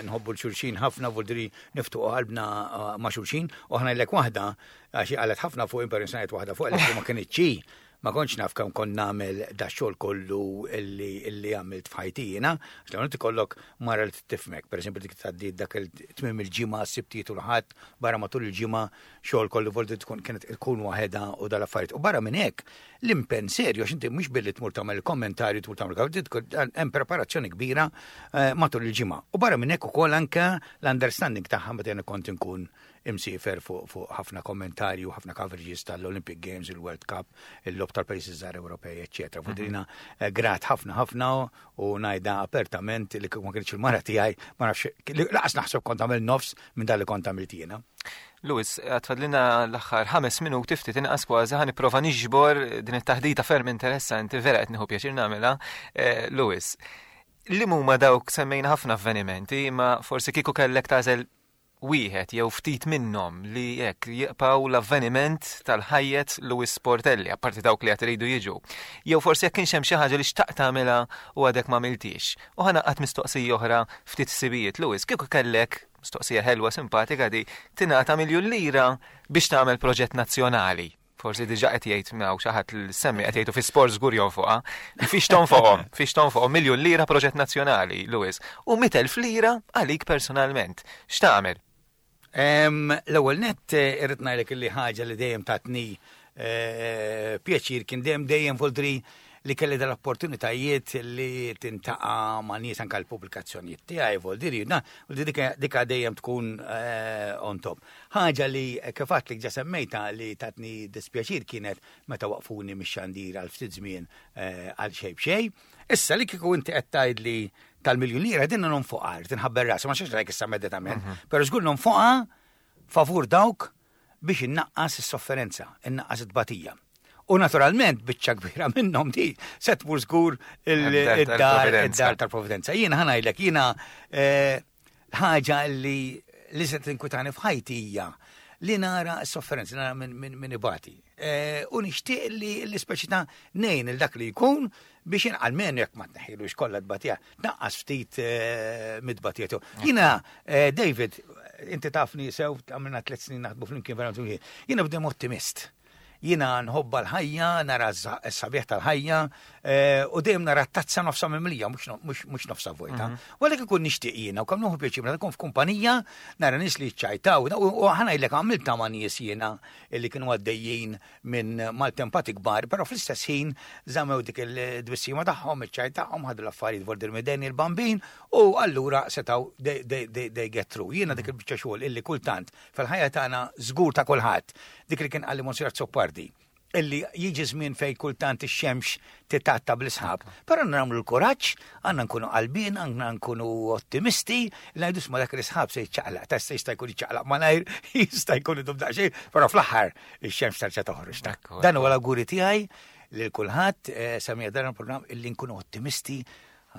[SPEAKER 4] nħobbu l-xulxin ħafna, vuldiri niftħu qalbna ma' xulxin, u aħna l waħda, għaxi għalet ħafna fuq impersonajt waħda fuq l ma kienitx ma kontx naf kemm kont nagħmel da xogħol kollu illi illi għamilt f'ħajti jiena, għax l ikollok mara li tifhmek, pereżempju dik tgħaddi dak il-tmiem il-ġimgħa, s-Sibtijiet u l-Ħadd, barra matul il-ġimgħa xogħol kollu volti tkun kienet tkun waħedha u dal-affarijiet. U barra minn hekk l-impenn serju għax inti mhux billi tmur tagħmel il-kommentarju tmur tagħmel hemm preparazzjoni kbira matul il-ġimgħa. U barra minn hekk ukoll anke l-understanding tagħha meta jiena kont inkun imsiefer fuq ħafna kommentarju, ħafna coverages tal-Olympic Games, il-World Cup, il-logħob tal-pajjiżi żgħar Ewropej, eċċetera. Fudrina grat ħafna ħafna u ngħidha apertament li kieku ma kienx il-mara tiegħi, ma nafx, lanqas naħseb kont għamil nofs minn dak li kont għamilt jiena.
[SPEAKER 2] Louis, għad fadlilna l-aħħar ħames minuti ftit inqas kważi ħa nipprova niġbor din it-taħdita ferm interessanti, vera qed nieħu pjaċir nagħmilha. Louis, li huma dawk semmejna ħafna avvenimenti, ma forsi kieku kellek tagħżel wieħed jew ftit minnhom li hekk jibqgħu l-avveniment tal-ħajjet Louis Portelli, apparti dawk li qed iridu jiġu. Jew forsi jekk kienx hemm xi ħaġa li xtaqt tagħmilha u għadek ma għamiltix. U ħa naqgħad mistoqsija oħra ftit sibijiet. Louis, kieku kellek mistoqsija ħelwa simpatika di tingħata miljun lira biex tagħmel proġett nazzjonali. Forsi diġà qed jgħid miegħu xi ħadd li semmi qed jgħidu fi sport żgur jonfoqha. Fiex tonfoqhom, fiex tonfoqhom miljun lira proġett nazzjonali, Louis. U mitt elf lira għalik personalment. X'tagħmel?
[SPEAKER 4] L-ewwel nett irrid ngħidlek li ħaġa li dejjem tatni pjaċir kien dejjem dejjem voldri li kelli dal-opportunitajiet li tiltaqa' ma' nies anke l-pubblikazzjonijiet tiegħi voldiri, na, voldiri dika dejjem tkun on top. Ħaġa li kif għedtlek ġa semmejta li tatni dispjaċir kienet meta waqfuni mix-xandir għal ftit żmien għal xejn b'xejn. Issa li kieku inti qed tgħidli tal-miljun lira dinna nonfoqha, tinħabber rasi, ma xiex rajk issa immedjatament, però żgur nonfoqha favur dawk biex innaqqas is-sofferenza, innaqqas it-tbatija. U naturalment biċċa kbira minnhom di se tmur żgur id-dar id-dar tal-Providenza. Jiena ħa ngħidlek, jiena eh, ħaġa li li se tinkwitani f'ħajti hija li nara s-sofferenza, nara minn min, min ibati. Eh, u nixtieq li l-ispeċi ta' ngħin il dak li jkun biex almenu jekk ma tneħħilux kollha tbatija, tnaqqas ftit eh, mid-tbatija tiegħu. Jiena, eh, David, inti tafni sew, għamilna tliet snin naħdmu flimkien verament flimkien. Jiena bdem ottimist. Jiena nħobba l-ħajja, nara s-sabiħ tal-ħajja, eh, u dejjem nara t-tazza nofsa mimlija, mhux nofsa vojta. U għalhekk ikun nixtieq jiena, u kemm nieħu pjaċir meta nkun f'kumpanija, nara nies li ċċajtaw, u ħa ngħidlek għamilta ma' nies jiena li kienu għaddejjin minn maltempati kbar, però fl-istess ħin żammew dik il-tbissima tagħhom, iċ-ċajt tagħhom, ħadu l-affarijiet vordir mideni il-bambin, u allura setgħu they, they, they, they get through. Jiena dik il-biċċa xogħol illi kultant fil-ħajja tagħna żgur ta' kulħadd, dik li kien qalli Monsignor Azzopardi, illi jiġi żmien fej kultant ix-xemx titatta bl-isħab. Però nagħmlu l-kuraġġ, għandna nkunu qalbin, għandna nkunu ottimisti, li ngħidu ma dak l-isħab se jiċċaqlaq, ta' se jista' jkun jiċċaqlaq malajr, jista' jkun idum daqsxejn, però fl-aħħar ix-xemx terġa' toħroġ.
[SPEAKER 2] Ekku,
[SPEAKER 4] Dan huwa l-awguri tiegħi lil kulħadd, eh, semija dan il-programm illi nkunu ottimisti,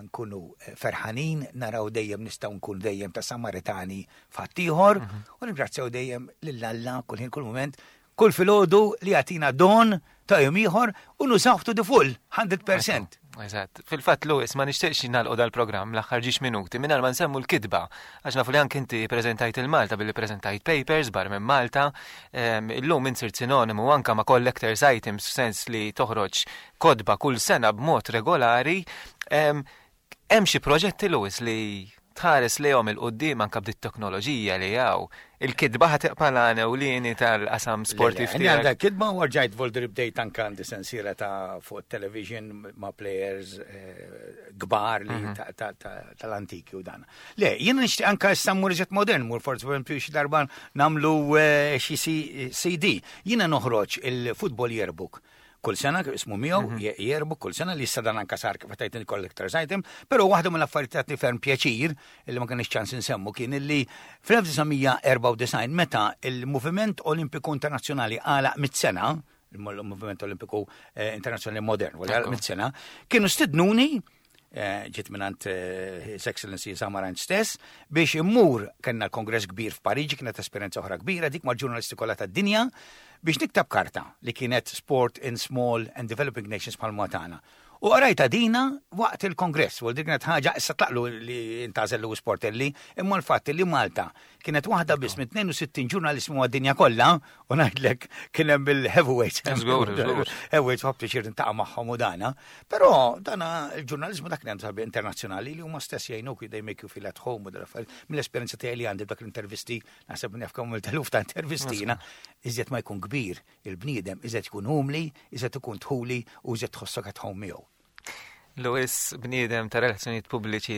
[SPEAKER 4] nkunu eh, ferħanin, naraw dejjem nistgħu nkunu dejjem ta' Samaritani f'ħaddieħor, u ningrazzjaw dejjem lil Alla kull ħin kull moment, kull filgħodu li jagħtina don ta' jum ieħor u nużaw to the full, mija fil-mija.
[SPEAKER 2] Eżatt. Fil-fatt, Louis, ma nixtieqx nagħlqu dal-programm l-aħħar ġiex minuti mingħajr ma nsemmu l-kitba. Għax nafu li anke inti preżentajt il-Malta billi preżentajt papers bar minn Malta. Em, Illum insirt sinonimu anka ma' collectors items f'sens li toħroġ kotba kull sena b'mod regolari. Em, Hemm xi proġetti, Louis, li tħares lejhom 'il quddiem anka b'dit teknoloġija li hawn? Il-kitba ħa tibqa' l-għan ewlieni tal-qasam sportiv
[SPEAKER 4] Għandi
[SPEAKER 2] tiegħek?
[SPEAKER 4] għandha kitba u rġajt volder bdejt anka għandi sensiela ta' fuq television ma' players eh, kbar li ta- ta- ta- tal-antiki u dan. Le, jiena nixtieq anka issa mmur iżjed modern, mur forsi per esempio xi darba nagħmlu eh, xi C- C D. Jiena noħroġ il-Football Yearbook kull sena, ismu miegħu yearbook kull sena li issa dan anka sar kif tajt il-collectors item, però waħda mill-affarijiet tatni ferm pjaċir illi ma kienx ċans insemmu kien illi fl-elf disa' mija erbgħa u disgħin meta il-Moviment Olimpiku Internazzjonali għalaq mitt sena, il-Moviment Olimpiku eh, Internazzjonali Modern, wara
[SPEAKER 2] Ekku.
[SPEAKER 4] mitt sena, kienu stidnuni eh, ġiet mingħand eh, His Excellency Samaranch stess, biex immur, kellna l-kongress kbir f'Pariġi, kienet esperjenza oħra kbira, dik mal-ġurnalisti kollha tad-dinja, biex niktab karta li kienet Sport in Small and Developing Nations bħal tagħna. U qrajta dina waqt il-kongress, u dik kienet ħaġa, issa tlaqlu li intgħażel Louis Portelli, imma l-fatt li Malta kienet waħda biss minn tnejn u sittin ġurnalist mad-dinja kollha, u ngħidlek kien hemm il-heavyweights.
[SPEAKER 2] Żgur, żgur.
[SPEAKER 4] Heavyweights ħadt pjaċir niltaqa' magħhom u dana. Però dana il-ġurnalizmu dak li għandu sabi internazzjonali li huma stess jgħinuk, they make you feel at home u dal-affarijiet. Mill-esperjenza tiegħi li għandi b'dak l-intervisti, naħseb naf kemm il-teluf ta' intervisti jiena, iżjed ma jkun kbir il-bniedem, iżjed jkun umli, iżjed ikun dħuli u iżjed tħossok at home miegħu.
[SPEAKER 2] Louis, bniedem ta' relazzjonijiet pubbliċi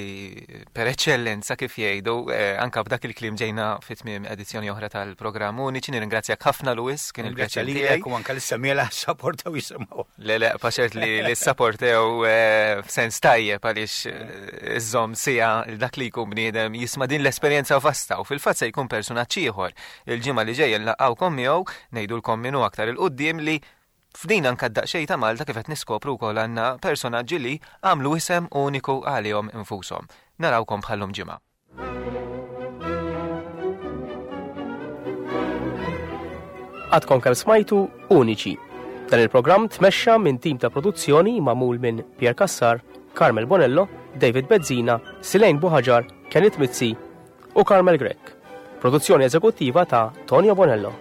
[SPEAKER 2] per eccellenza kif jgħidu, eh, anka b'dak il-kliem ġejna fit tmiem edizzjoni oħra tal-programm Uniċi. Nirringrazzjak ħafna, Louis, kien
[SPEAKER 4] Ringrazzja
[SPEAKER 2] il-pjaċir
[SPEAKER 4] lilek
[SPEAKER 2] tiegħi.
[SPEAKER 4] u anka lis-semmiegħa sapportew jisimgħu.
[SPEAKER 2] Le, le, paċert li li sapportew eh, f'sens tajjeb għaliex eh, iżżomm sija dak li jkun bniedem jisma' din l-esperjenza vasta u fil-fatt se jkun personaġġ ieħor. Il-ġimgħa li ġejja nlaqgħukom miegħu, ngħidulkom minnu aktar 'il quddiem li f'din anka daqsxejn ta' Malta kif qed niskopru wkoll għandna personaġġi li għamlu isem uniku għalihom infushom. Narawkom bħallum ġimgħa.
[SPEAKER 1] Għadkom kemm smajtu Uniċi. Dan il-programm tmexxa minn tim ta' produzzjoni magħmul minn Pierre Cassar, Carmel Bonello, David Bezzina, Silejn Buħaġar, Kenneth Mizzi u Carmel Grech. Produzzjoni eżekuttiva ta' Tonio Bonello.